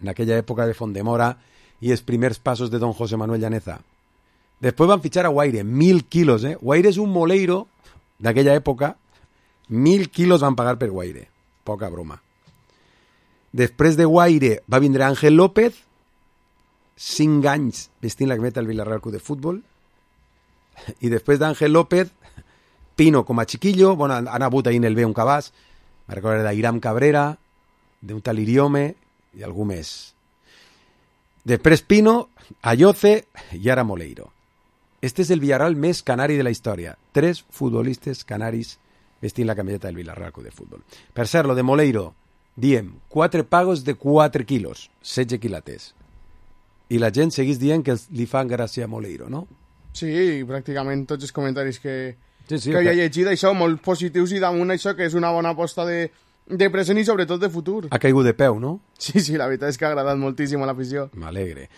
en aquella època de Fondemora, i els primers passos de don José Manuel Llaneza. Després van fitxar a Guaire, mil quilos, eh? Guaire és un moleiro d'aquella època, mil quilos van pagar per Guaire, poca broma. Després de Guaire va vindre Ángel López, cinc anys vestint la cameta del Villarreal Club de Futbol, i després d'Ángel López, Pino com a chiquillo, bueno, han hagut ahir en el B un cabàs, me recordo d'Iram Cabrera, d'un tal Iriome i algú més. Després Pino, Ayoce i ara Moleiro. Este és el Villarreal més canari de la història. Tres futbolistes canaris vestint la camiseta del Villarreal Club de Futbol. Per cert, lo de Moleiro, diem, quatre pagos de quatre quilos, setze quilates. I la gent seguís dient que li fan gràcia a Moleiro, no? Sí, pràcticament tots els comentaris que, sí, sí, que havia que... llegit, això, molt positius, i damunt això que és una bona aposta de, de present i sobretot de futur. Ha caigut de peu, no? Sí, sí, la veritat és que ha agradat moltíssim a l'afició. M'alegre.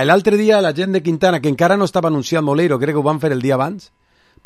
L'altre dia la gent de Quintana, que encara no estava anunciat Moleiro, crec que ho van fer el dia abans,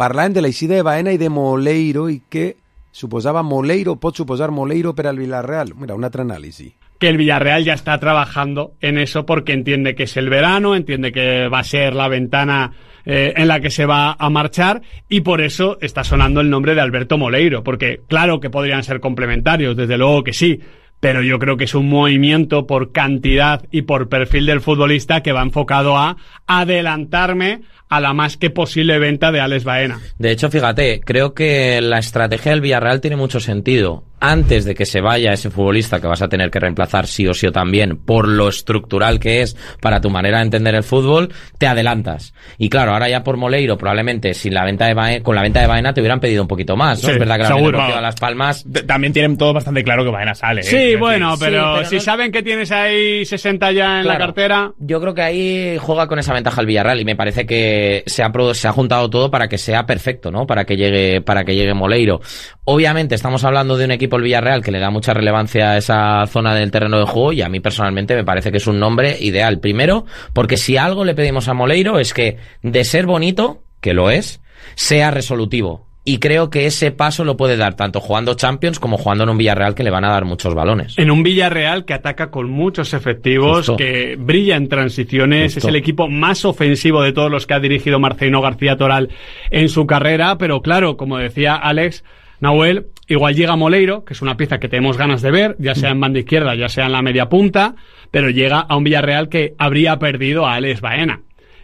parlaven de l'eixida de Baena i de Moleiro i que suposava Moleiro, pot suposar Moleiro per al Villarreal. Mira, un altre anàlisi. Que el Villarreal ya está trabajando en eso porque entiende que es el verano, entiende que va a ser la ventana eh, en la que se va a marchar, y por eso está sonando el nombre de Alberto Moleiro, porque claro que podrían ser complementarios, desde luego que sí, pero yo creo que es un movimiento por cantidad y por perfil del futbolista que va enfocado a adelantarme a la más que posible venta de Alex Baena. De hecho, fíjate, creo que la estrategia del Villarreal tiene mucho sentido. Antes de que se vaya ese futbolista que vas a tener que reemplazar sí o sí o también por lo estructural que es para tu manera de entender el fútbol, te adelantas. Y claro, ahora ya por Moleiro probablemente sin la venta de Baena, con la venta de Baena te hubieran pedido un poquito más, ¿no? Sí, es verdad que la seguro. a Las Palmas también tienen todo bastante claro que Baena sale. Sí, ¿eh? bueno, pero, sí, pero si no... saben que tienes ahí sesenta ya en claro, la cartera... Yo creo que ahí juega con esa ventaja el Villarreal y me parece que se ha, se ha juntado todo para que sea perfecto, ¿no? Para que llegue, para que llegue Moleiro. Obviamente estamos hablando de un equipo, el Villarreal, que le da mucha relevancia a esa zona del terreno de juego y a mí personalmente me parece que es un nombre ideal. Primero, porque si algo le pedimos a Moleiro es que de ser bonito, que lo es, sea resolutivo. Y creo que ese paso lo puede dar tanto jugando Champions como jugando en un Villarreal que le van a dar muchos balones. En un Villarreal que ataca con muchos efectivos, Justo. que brilla en transiciones, Justo. es el equipo más ofensivo de todos los que ha dirigido Marcelino García Toral en su carrera, pero claro, como decía Alex, Nahuel, igual llega Moleiro, que es una pieza que tenemos ganas de ver, ya sea en banda izquierda, ya sea en la media punta, pero llega a un Villarreal que habría perdido a Alex Baena.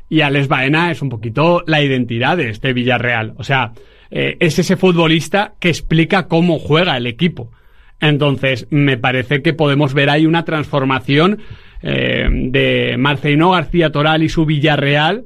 Y Alex Baena es un poquito la identidad de este Villarreal. O sea, eh, es ese futbolista que explica cómo juega el equipo. Entonces, me parece que podemos ver ahí una transformación eh, de Marcelino García Toral y su Villarreal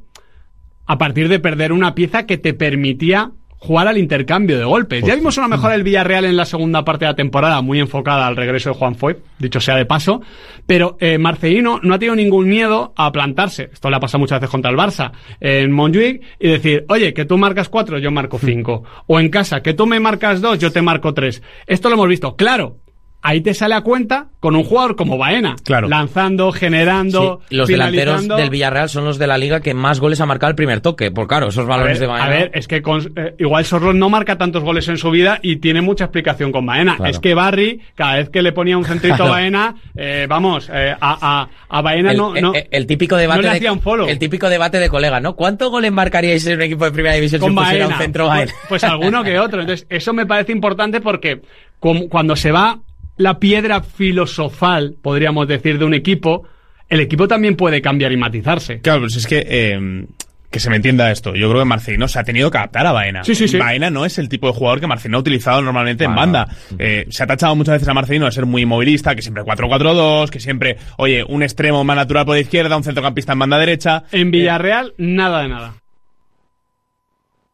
a partir de perder una pieza que te permitía jugar al intercambio de golpes. Ya vimos una mejora del Villarreal en la segunda parte de la temporada, muy enfocada al regreso de Juan Foyth, dicho sea de paso, pero eh, Marcelino no ha tenido ningún miedo a plantarse. Esto le ha pasado muchas veces contra el Barça en Montjuic y decir, oye, que tú marcas cuatro, yo marco cinco. O en casa, que tú me marcas dos, yo te marco tres. Esto lo hemos visto. Claro, ahí te sale a cuenta con un jugador como Baena, claro. lanzando, generando, sí, los delanteros del Villarreal son los de la liga que más goles ha marcado el primer toque, por claro, esos balones ver, de Baena. A ver, es que con, eh, igual Sorloth no marca tantos goles en su vida y tiene mucha explicación con Baena. Claro. Es que Barry, cada vez que le ponía un centrito claro. a Baena, eh, vamos, eh, a, a, a Baena el, no, no, el, el típico debate no le de, hacía un follow. El típico debate de colegas, ¿no? ¿Cuántos goles marcaríais en un equipo de primera división con si Baena? pusiera un centro Baena? Pues, pues alguno que otro. Entonces, eso me parece importante porque como, cuando se va la piedra filosofal, podríamos decir, de un equipo, el equipo también puede cambiar y matizarse. Claro, pues es que eh, que se me entienda esto. Yo creo que Marcelino se ha tenido que adaptar a Baena. Sí, sí, sí. Baena no es el tipo de jugador que Marcelino ha utilizado normalmente bueno. en banda. Eh, se ha tachado muchas veces a Marcelino de ser muy movilista, que siempre cuatro cuatro dos, que siempre, oye, un extremo más natural por izquierda, un centrocampista en banda derecha. En Villarreal, eh, nada de nada.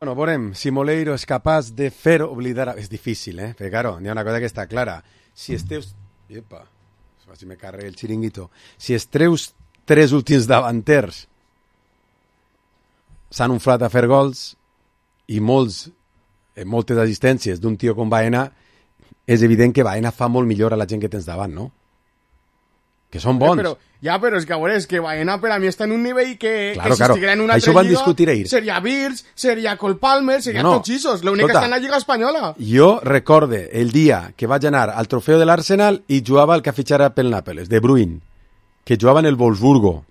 Bueno, veurem si Moleiro és capaç de fer oblidar... És difícil, eh? Perquè, claro, hi ha una cosa que està clara. Si els teus... Epa, si me carregué el xiringuito. Si els teus tres últims davanters s'han inflat a fer gols i molts, eh, moltes assistències d'un tio com Baena, és evident que Baena fa molt millor a la gent que tens davant, no? Que són bons. Eh, però, ja, però és que, a veure, és que Baena per a mi està en un nivell que, claro, que si claro. estiguera en una Això altra van discutir ahir. seria Birch, seria Cole Palmer, seria no, no. tots ixos. L'únic que està en la Lliga Espanyola. Jo recorde el dia que vaig anar al trofeu de l'Arsenal i jugava el que fitxara pel Nàpoles, De Bruyne, que jugava en el Wolfsburgo.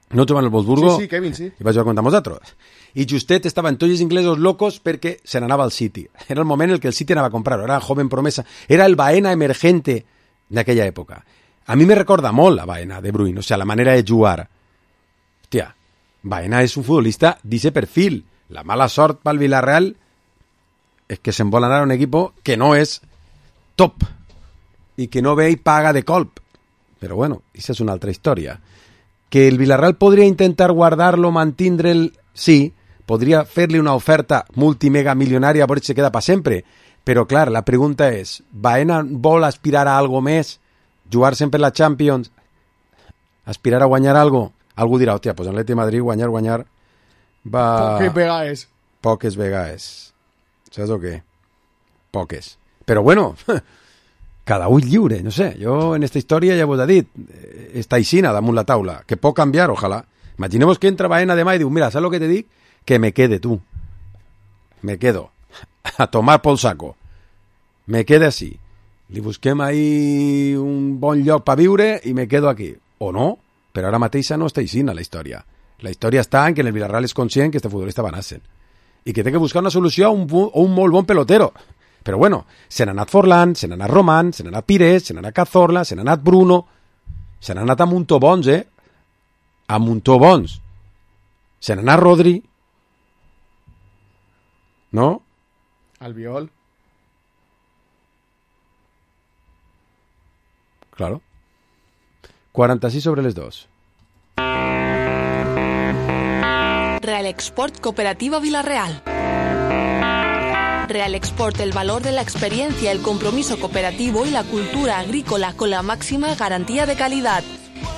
No jugava en el Wolfsburgo? Sí, sí, Kevin, sí. I va jugar contra nosaltres. I justet estaven tots els inglesos locos perquè se n'anava al City. Era el moment en què el City anava a comprar-ho. Era joven promesa. Era el Baena emergente d'aquella època. A mi me recorda molt a Baena, De Bruyne, o sea, la manera de jugar. Hòstia, Baena és un futbolista d'ese perfil. La mala sort pel Villarreal és que se'n vol anar a un equipo que no és top i que no ve i paga de colp. Però bueno, això és una altra història. Que el Villarreal podria intentar guardar-lo, mantindre'l, sí, podria fer-li una oferta multimega milionària a veure si se queda per sempre. Però clar, la pregunta és, Baena vol aspirar a algo més? Jugar sempre la Champions, aspirar a guanyar algo, algú dirà, hòstia, pues en l'Atlètic de Madrid guanyar, guanyar va... Poques vegades. Poques vegades. Saps o què? Poques. Però bueno, cada ull lliure, no sé. Jo en esta història ja vos he dit, està aixina damunt la taula, que pot canviar, ojalà. Imaginemos que entra Baena demà i diu, mira, saps lo que te dic? Que me quede tu. Me quedo. A tomar por saco. Me quede así. Li busquem ahí un bon lloc per viure i me quedo aquí. O no, però ara mateixa no està així la història. La història està en que el Villarreal és conscient que este futbolista va anar-se'n i que té que buscar una solució a un, a un molt bon pelotero. Però bueno, se n'ha anat Forlán, se n'ha anat Román, se n'ha anat Pires, se n'ha anat Cazorla, se n'ha anat Bruno, se n'ha anat a Montó bons, eh? A Montó bons. Se n'anà Rodri, no? Albiol. Claro. quaranta-sis sobre les dos. Real Export Cooperativa Villarreal. Real Export, el valor de la experiencia, el compromiso cooperativo y la cultura agrícola con la máxima garantía de calidad.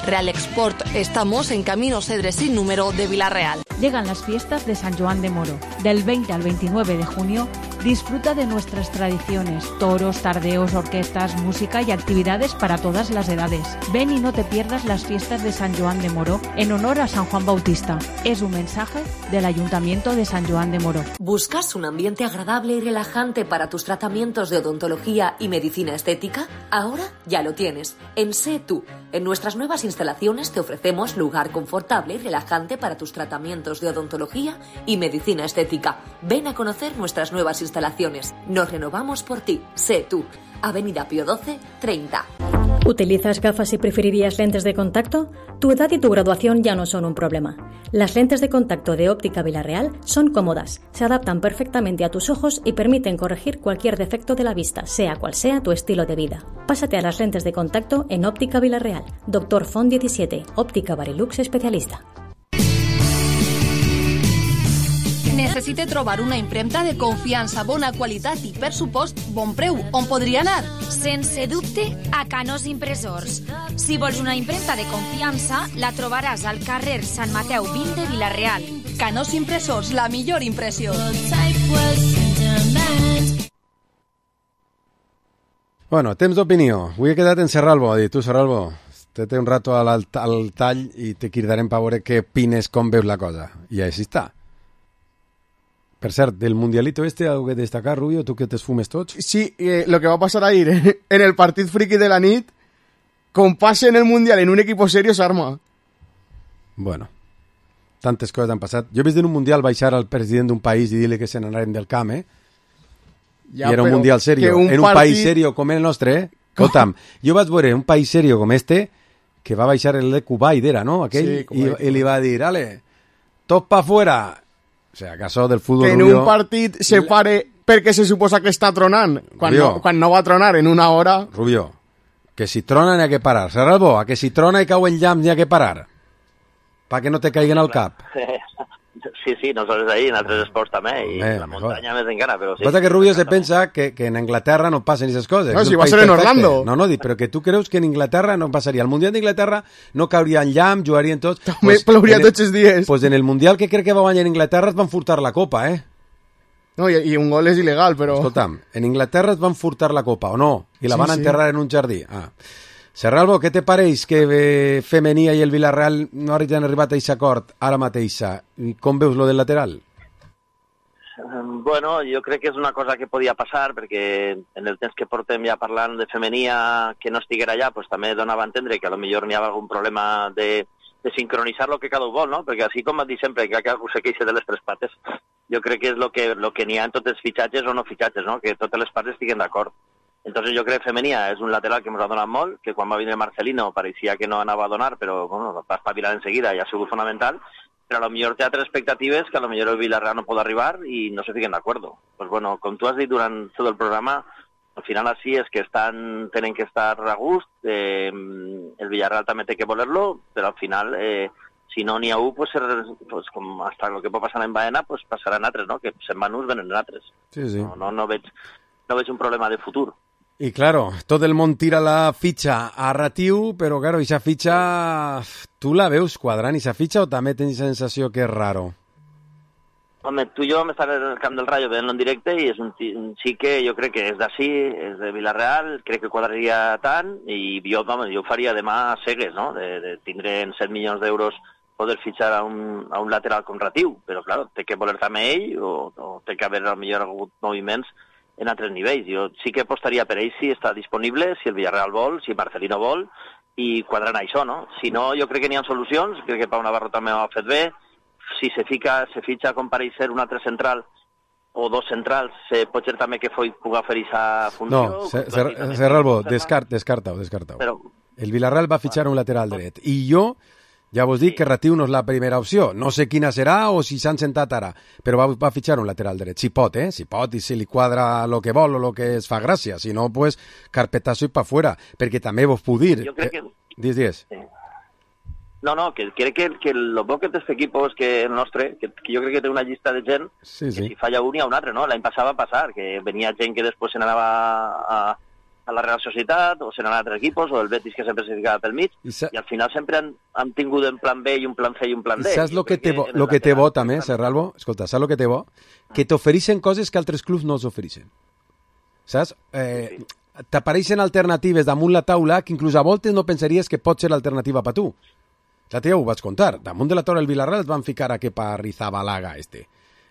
Real Export, estamos en Camino Cedres sin número de Villarreal. Llegan las fiestas de San Joan de Moro. Del veinte al veintinueve de junio, disfruta de nuestras tradiciones, toros, tardeos, orquestas, música y actividades para todas las edades. Ven y no te pierdas las fiestas de San Joan de Moro en honor a San Juan Bautista. Es un mensaje del Ayuntamiento de San Joan de Moro. ¿Buscas un ambiente agradable y relajante para tus tratamientos de odontología y medicina estética? Ahora ya lo tienes. En Sé Tú. En nuestras nuevas instalaciones te ofrecemos lugar confortable y relajante para tus tratamientos de odontología y medicina estética. Ven a conocer nuestras nuevas instalaciones. Nos renovamos por ti. Sé Tú. Avenida Pío doce, treinta. ¿Utilizas gafas y preferirías lentes de contacto? Tu edad y tu graduación ya no son un problema. Las lentes de contacto de Óptica Villarreal son cómodas, se adaptan perfectamente a tus ojos y permiten corregir cualquier defecto de la vista, sea cual sea tu estilo de vida. Pásate a las lentes de contacto en Óptica Villarreal. Doctor Font diecisiete, Óptica Barilux especialista. Necessite trobar una impremta de confiança, bona qualitat i, per supost, bon preu. On podria anar? Sense dubte, a Canós Impressors. Si vols una impremta de confiança, la trobaràs al carrer Sant Mateu vint de Vilareal. Canós Impressors, la millor impressió. Bueno, temps d'opinió. Avui he quedat en Serralbo. Ha dit, tu, Serralbo, te té un rato al, al tall i te cridarem per veure què opines, com veus la cosa. I així està. Per cert, del mundialito este, algo que destacar, Rubio, tu que te esfumes tots? Sí, eh, lo que va a pasar ayer en el partit friki de la nit, con pase en el mundial en un equipo serio, s'arma. Bueno, tantes coses han passat. Jo he vist en un mundial baixar al president d'un país i dir-li que se n'anaren del camp, eh? Ja, I era un mundial serio. Un en un partit... país serio com el nostre, eh? Escolta'm, jo vaig veure un país serio com este, que va baixar el de Kuwait, era, no? Aquell, sí, i, i li va dir, ale, tot pa fuera. O sea, acaso del fútbol que en Rubio, un partit se pare perquè se suposa que està tronant quan no, quan no va tronar en una hora. Rubio, que si trona n'hi ha que parar. Serralbo, a que si trona i cau en llamp n'hi ha que parar. Pa que no te caiguen al cap. Sí, sí, nosaltres ahí, en altres esports també, i eh, la muntanya més encara, però sí. Passa que Rubio se pensa que, que en Anglaterra no passen aquestes coses. No, si va ser en Orlando. No, no, però que tu creus que en Inglaterra no passaria. El Mundial d'Inglaterra no cauria en llamp, jugarien tots. També pues, plouria tots els dies. Pues en el Mundial que crec que va guanyar en Inglaterra es van furtar la copa, eh? No, i, i un gol és il·legal, però... Escolta'm, en Inglaterra es van furtar la copa, o no? I la sí, van enterrar sí. en un jardí. Ah. Serralbo, què te pareix que eh, Femenia i el Villarreal no han arribat a aquest acord ara mateixa? Com veus lo del lateral? Bueno, jo crec que és una cosa que podia passar, perquè en el temps que portem ja parlant de Femenia que no estiguera allà, pues també donava a entendre que a lo millor n'hi ha algun problema de, de sincronitzar lo que cada un vol, no? Perquè així com et dic sempre, que algú se queixa de les tres pates, jo crec que és lo que, lo que n'hi ha en tots els fitxatges o no fitxatges, no? Que totes les parts estiguen d'acord. Entonces jo crec que Femenia és un lateral que ens ha donat molt, que quan va venir Marcelino pareixia que no anava a donar, però bueno, va espavilar enseguida i ha sigut fonamental, però a lo millor té altres expectatives que a lo millor el Villarreal no pot arribar i no se fiquen d'acord. Pues bueno, com tu has dit durant tot el programa, al final així és que estan, tenen que estar a gust, eh, el Villarreal també té que voler-lo, però al final, eh, si no n'hi ha un, pues, pues, com hasta el que pot passar en Baena, pues passaran altres, no? Que se'n van uns, venen altres. Sí, sí. No, no, no, veig, no veig un problema de futur. I claro, tot el món tira la fitxa a Ratiu, però claro, aquesta fitxa, tu la veus quadrant, aquesta fitxa, o també tens sensació que és raro? Home, tu i jo vam estar en el camp del Rayo veient-lo en directe i és un, un xic que jo crec que és d'ací, és de Villarreal, crec que quadraria tant i jo, home, jo ho faria demà a cegues, no? De, de tindre en set milions d'euros poder fitxar a un, a un lateral com Ratiu, però claro, té que voler també ell o, o té que haver al millor hagut moviments en altres nivells. Jo sí que apostaria per ell si està disponible, si el Villarreal vol, si Marcelino vol, i quadrant això, no? Si no, jo crec que n'hi ha solucions, crec que Pau Navarro també ho ha fet bé, si se fica, se fitxa com pareix ser un altre central o dos centrals, se pot ser també que Foyt pugui fer aquesta funció. No, Serralbo, descart, descarta-ho, descarta-ho. Però... El Villarreal va fitxar un lateral dret, i jo Ja vos dic sí. que Ratiu no és la primera opció. No sé quina serà o si s'han sentat ara, però va, va fitxar un lateral dret. Si pot, eh? Si pot i si li quadra lo que vol o lo que es fa gràcia. Si no, pues, carpetazo i pa fuera. Perquè també vos puc dir... Jo crec que... Eh, dies, dies. Sí. No, no, que crec que, que lo bo que té este equipo és que el nostre, que, que jo crec que té una llista de gent sí, sí. que si falla un hi ha un altre, no? L'any passat va passar, que venia gent que després se n'anava a... a la Real Societat, o se n'han altres equipos, o el Betis que sempre se ficava pel mig, I, sa... i al final sempre han, han tingut un plan B i un plan C i un plan D. I saps el que té bo, lo que té bo també, Serralvo? Escolta, saps el que té bo? Que t'ofereixen coses que altres clubs no s'ofereixen. Saps? Eh, sí, sí. T'apareixen alternatives damunt la taula que inclús a voltes no pensaries que pot ser l'alternativa per tu. Ja t'ho vaig contar. Damunt de la torre del Villarreal et van ficar a que pa Rizabalaga este.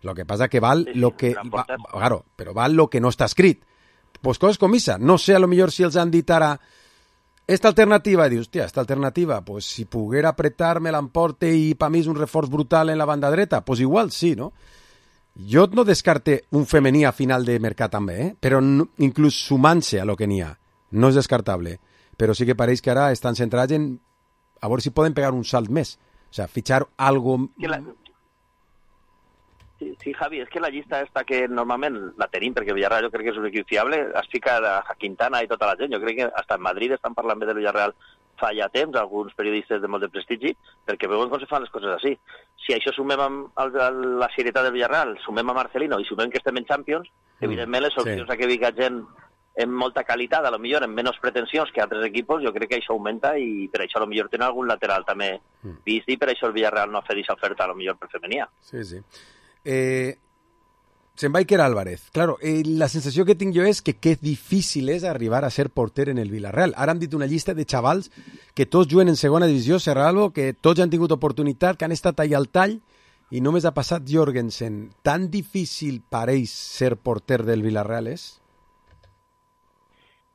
Lo que pasa que val sí, sí, lo que... Va, claro, però val lo que no està escrit. Pues coses com esa. No sé, a lo millor si els han dit ara esta alternativa, i dius, hòstia, esta alternativa, pues si poguera apretar-me l'emporte i per mi és un reforç brutal en la banda dreta, pues igual sí, no? Jo no descarte un femení a final de mercat també, eh? Però no, inclús sumant-se a lo que n'hi ha, no és descartable. Però sí que pareix que ara estan centrats en a veure si poden pegar un salt més. O sea, fichar algo... La... Sí, sí, Javi, és que la llista esta que normalment la tenim, perquè Villarreal jo crec que és un equip fiable, es fica a Quintana i tota la gent. Jo crec que hasta en Madrid estan parlant bé de Villarreal fa ja temps, alguns periodistes de molt de prestigi, perquè veuen com se fan les coses així. Si això sumem amb el, la serietat del Villarreal, sumem a Marcelino i sumem que estem en Champions, mm, evidentment les opcions sí. a que viga gent amb molta qualitat, a lo millor amb menys pretensions que altres equipos, jo crec que això augmenta i per això a lo millor tenen algun lateral també mm. vist i per això el Villarreal no ha fet aquesta oferta a lo millor per femenia. Sí, sí. Eh, se'n va Iker Álvarez. Claro, eh, la sensació que tinc jo és que que difícil és arribar a ser porter en el Villarreal. Ara hem dit una llista de xavals que tots juguen en segona divisió, Serralvo, que tots han tingut oportunitat, que han estat allà al tall i només ha passat Jorgensen. Tan difícil pareix ser porter del Villarreal és?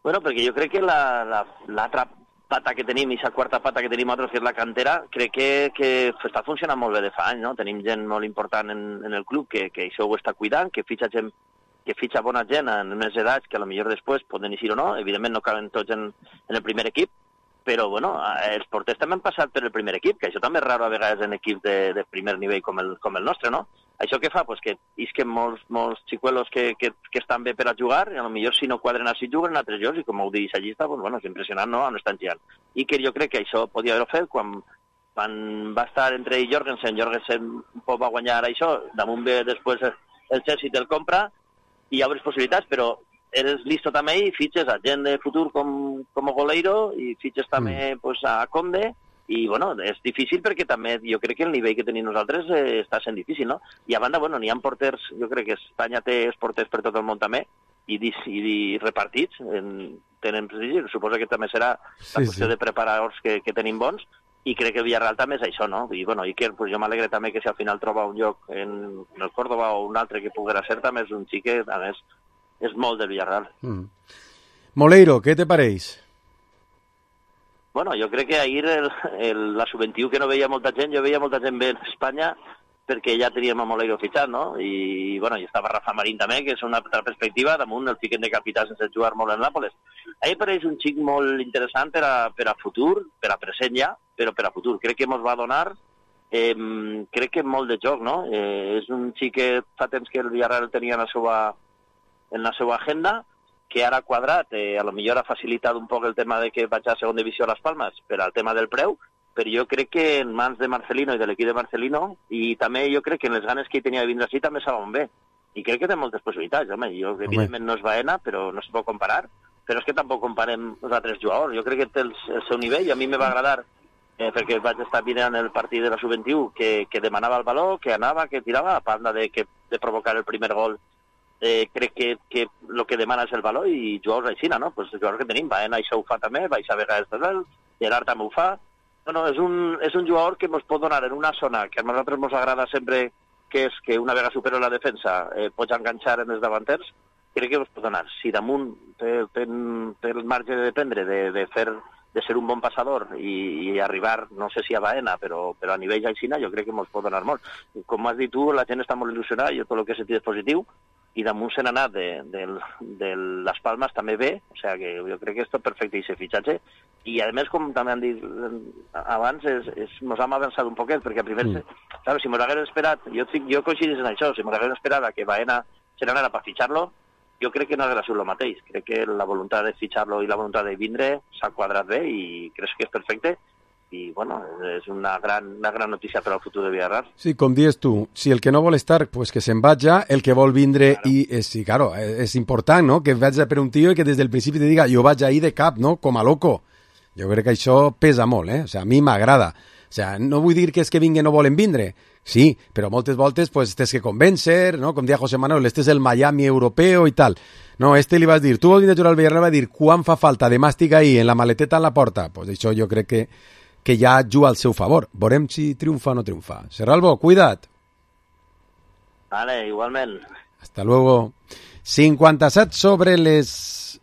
Bueno, perquè jo crec que la, la, l'altra pata que tenim, i la quarta pata que tenim altres, que és la cantera, crec que, que està funcionant molt bé de fa anys, no? Tenim gent molt important en, en el club que, que això ho està cuidant, que fitxa gent, que fitxa bona gent en unes edats que a lo millor després poden eixir o no, evidentment no caben tots en, en el primer equip, però bueno, els porters també han passat per el primer equip, que això també és raro a vegades en equips de, de primer nivell com el, com el nostre, no? Això què fa? Pues que isquen molts, molts xicuelos que, que, que estan bé per a jugar, i a lo millor si no quadren així juguen altres jocs, i com ho diu la llista, pues, bueno, és impressionant, no?, on estan girant. I que jo crec que això podia haver-ho fet quan, quan va estar entre ell i Jorgensen, Jorgensen un poc va guanyar això, damunt ve després el Chelsea te'l compra, i hi ha altres possibilitats, però eres listo també i fitxes a gent de futur com, com Goleiro, i fitxes també mm. pues, a Conde, i bueno, és difícil perquè també jo crec que el nivell que tenim nosaltres eh, està sent difícil, no? I a banda, bueno, n'hi ha porters, jo crec que Espanya té els porters per tot el món també, i, i, i repartits, en, tenen prestigi, suposo que també serà la sí, qüestió sí. de preparadors que, que tenim bons, i crec que el Villarreal també és això, no? I bueno, Iker, pues, jo m'alegre també que si al final troba un lloc en, en el Córdoba o un altre que poguera ser, també és un xic que, a més, és molt del Villarreal. Mm. Moleiro, què te pareix? Bueno, jo crec que ahir el, el, la sub vint-i-u que no veia molta gent, jo veia molta gent bé en Espanya perquè ja teníem a Moleiro fitxat, no? I, bueno, i estava Rafa Marín també, que és una altra perspectiva, damunt el fiquen de capità sense jugar molt en Nàpoles. A mi pareix un xic molt interessant per a, per a futur, per a present ja, però per a futur. Crec que ens va donar, eh, crec que molt de joc, no? Eh, és un xic que fa temps que el Villarreal tenia en la seva, en la seva agenda, que ara ha quadrat, eh, a lo millor ha facilitat un poc el tema de que vaig a segona divisió a Las Palmas per al tema del preu, però jo crec que en mans de Marcelino i de l'equip de Marcelino, i també jo crec que en les ganes que ell tenia de vindre així també saben bé. I crec que té moltes possibilitats, home. Jo, evidentment no és Baena, però no es pot comparar, però és que tampoc comparem els altres jugadors. Jo crec que té el, el seu nivell, i a mi me va agradar, eh, perquè vaig estar mirant el partit de la sub vint-i-u, que, que demanava el valor, que anava, que tirava, a banda de, que, de provocar el primer gol. Eh, crec que, que el que demana és el valor i jugadors aixina, no? Pues els jugadors que tenim, Baena això ho fa també, Baixa vegades també, Gerard també ho fa. Bueno, és un, és un jugador que ens pot donar en una zona que a nosaltres ens agrada sempre, que és que una vegada supera la defensa eh, pots enganxar en els davanters, crec que ens pot donar. Si damunt té, té, té el marge de dependre de, de, fer, de ser un bon passador i, i arribar, no sé si a Baena, però, però a nivell aixina jo crec que ens pot donar molt. Com has dit tu, la gent està molt il·lusionada, jo tot el que he sentit és positiu, i damunt se n'ha anat de, de, de les Palmes també bé, o sigui que jo crec que és tot perfecte i ese fitxatge, i a més, com també han dit abans, és, és, nos hem avançat un poquet, perquè primer, mm. sabe, si mos hagués esperat, jo, jo coincidís en això, si mos hagués esperat a que Baena se n'anara per fitxar-lo, jo crec que no hagués sigut el mateix. Crec que la voluntat de fitxar-lo i la voluntat de vindre s'ha quadrat bé i crec que és perfecte. I, bueno, és una gran, una gran notícia per al futur de Villarreal. Sí, com dius tu, si el que no vol estar, pues que se'n vaja, el que vol vindre, claro. I és, sí, claro, és important, no?, que vaig per un tio i que des del principi te diga, jo vaig ahir de cap, no?, com a loco. Jo crec que això pesa molt, eh? O sea, a mi m'agrada. O sea, no vull dir que és que vinguen no volen vindre, sí, però moltes voltes pues tens que convèncer, no? Com deia José Manuel, este és el Miami europeo i tal. No, este li vas dir, tu vols vindre a jugar al Villarreal, va dir, quan fa falta de màstic ahí, en la maleteta en la porta? Pues això jo crec que, que ja juga al seu favor. Veurem si triomfa o no triomfa. Serralbo, cuida't. Vale, igualment. Hasta luego. cinquanta-set sobre les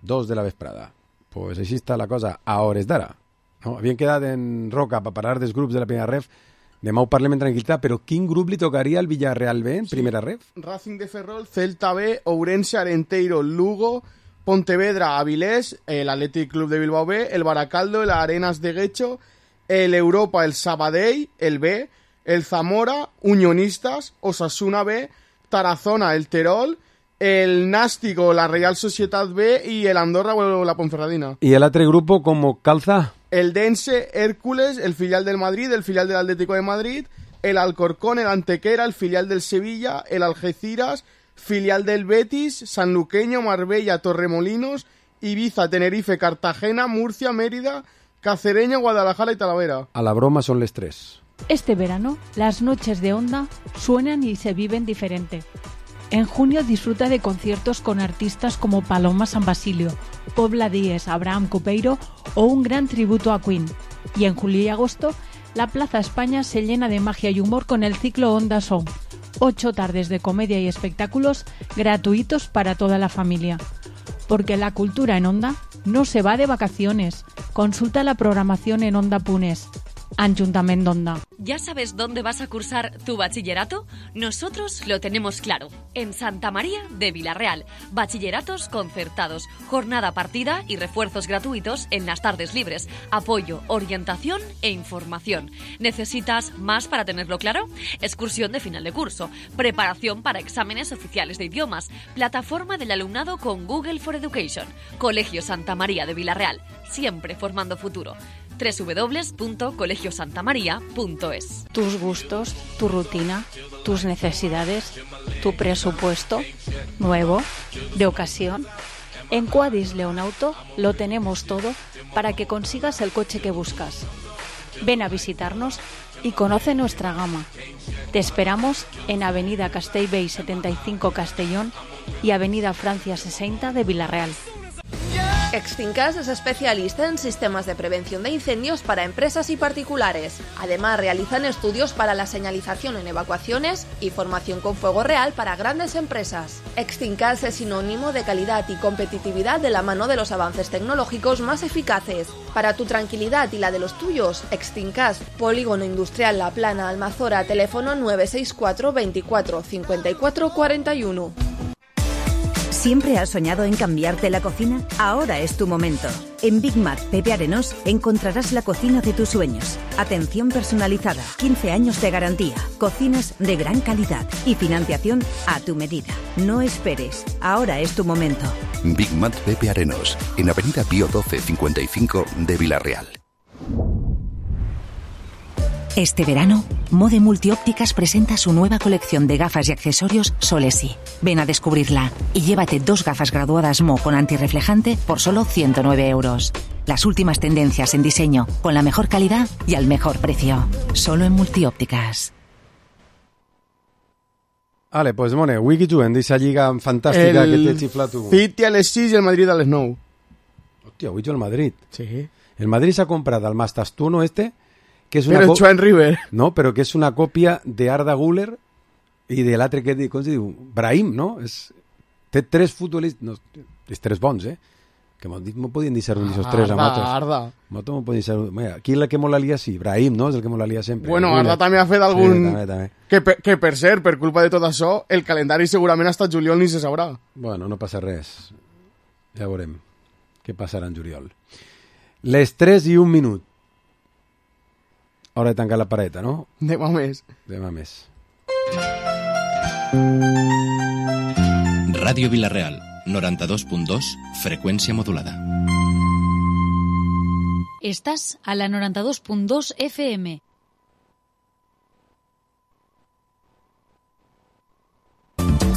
dos de la vesprada. Pues així està la cosa a hores d'ara. No? Havien quedat en Roca per parlar dels grups de la primera ref. Demà ho parlem en tranquil·litat, però quin grup li tocaria al Villarreal B en sí. primera ref? Racing de Ferrol, Celta B, Ourense, Arenteiro, Lugo, Pontevedra, Avilés, el Athletic Club de Bilbao B, el Baracaldo, el Arenas de Guecho, el Europa, el Sabadell, el B, el Zamora, Unionistas, Osasuna B, Tarazona, el Terol, el Nástico, la Real Sociedad B y el Andorra o la Ponferradina. ¿Y el otro grupo como calza? El Dense, Hércules, el filial del Madrid, el filial del Atlético de Madrid, el Alcorcón, el Antequera, el filial del Sevilla, el Algeciras, filial del Betis, Sanluqueño, Marbella, Torremolinos, Ibiza, Tenerife, Cartagena, Murcia, Mérida, Cacereña, Guadalajara y Talavera. A la broma son les tres. Este verano, las noches de Onda suenan y se viven diferente. En junio disfruta de conciertos con artistas como Paloma San Basilio, Pobla Díez, Abraham Cupeiro o un gran tributo a Queen. Y en julio y agosto, la Plaza España se llena de magia y humor con el ciclo Onda Song. Ocho tardes de comedia y espectáculos gratuitos para toda la familia. Porque la cultura en Onda no se va de vacaciones. Consulta la programación en Onda Punes. Ayuntamiento Onda. ¿Ya sabes dónde vas a cursar tu bachillerato? Nosotros lo tenemos claro. En Santa María de Villarreal. Bachilleratos concertados, jornada partida y refuerzos gratuitos en las tardes libres. Apoyo, orientación e información. ¿Necesitas más para tenerlo claro? Excursión de final de curso. Preparación para exámenes oficiales de idiomas. Plataforma del alumnado con Google for Education. Colegio Santa María de Villarreal. Siempre formando futuro. doble u doble u doble u punto colegio santa maría punto es. Tus gustos, tu rutina, tus necesidades, tu presupuesto, nuevo, de ocasión. En Quadis León Auto lo tenemos todo para que consigas el coche que buscas. Ven a visitarnos y conoce nuestra gama. Te esperamos en Avenida Castellbell setenta y cinco Castellón y Avenida Francia sesenta de Villarreal. Extincas es especialista en sistemas de prevención de incendios para empresas y particulares. Además, realizan estudios para la señalización en evacuaciones y formación con fuego real para grandes empresas. Extincas es sinónimo de calidad y competitividad de la mano de los avances tecnológicos más eficaces. Para tu tranquilidad y la de los tuyos, Extincas, Polígono Industrial La Plana, Almazora, teléfono nueve seis cuatro veinticuatro cincuenta y cuatro cuarenta y uno. ¿Siempre has soñado en cambiarte la cocina? Ahora es tu momento. En Big Mac Pepe Arenós encontrarás la cocina de tus sueños. Atención personalizada, quince años de garantía, cocinas de gran calidad y financiación a tu medida. No esperes, ahora es tu momento. Big Mac Pepe Arenós, en Avenida Pío doce cincuenta y cinco de Villarreal. Este verano, Mode Multiópticas presenta su nueva colección de gafas y accesorios Solesi. Ven a descubrirla y llévate dos gafas graduadas Mo con antirreflejante por solo ciento nueve euros. Las últimas tendencias en diseño, con la mejor calidad y al mejor precio. Solo en Multiópticas. Vale, pues Mone, wiki juguen d'esa lliga fantàstica el que té xiflat tu. City a les sis i el Madrid a les nou. Hòstia, avui jo el Madrid. Sí. El Madrid s'ha comprat el Mastastuno este, que és una pero Joan River. No, però que és una còpia de Arda Güler i de l'altre que com se diu, Brahim, no? És, té tres futbolistes, no, és tres bons, eh? Que m'ho podien discernir esos tres a Arda, motos. Arda. Moto m'ho podien discernir. Mira, qui és la que molt la lia? Sí, Brahim, no? És el que molt la lia sempre. Bueno, Mira. Arda també ha fet algun... Sí, també, també. Que, per, que per cert, per culpa de tot això, el calendari segurament hasta juliol ni se sabrà. Bueno, no passa res. Ja veurem què passarà en juliol. Les tres i un minut. Hora de tancar la pareta, no? Demà més. Demà més. Ràdio Vila-real, noranta-dos punt dos, freqüència modulada. Estás a la noranta-dos punt dos F M.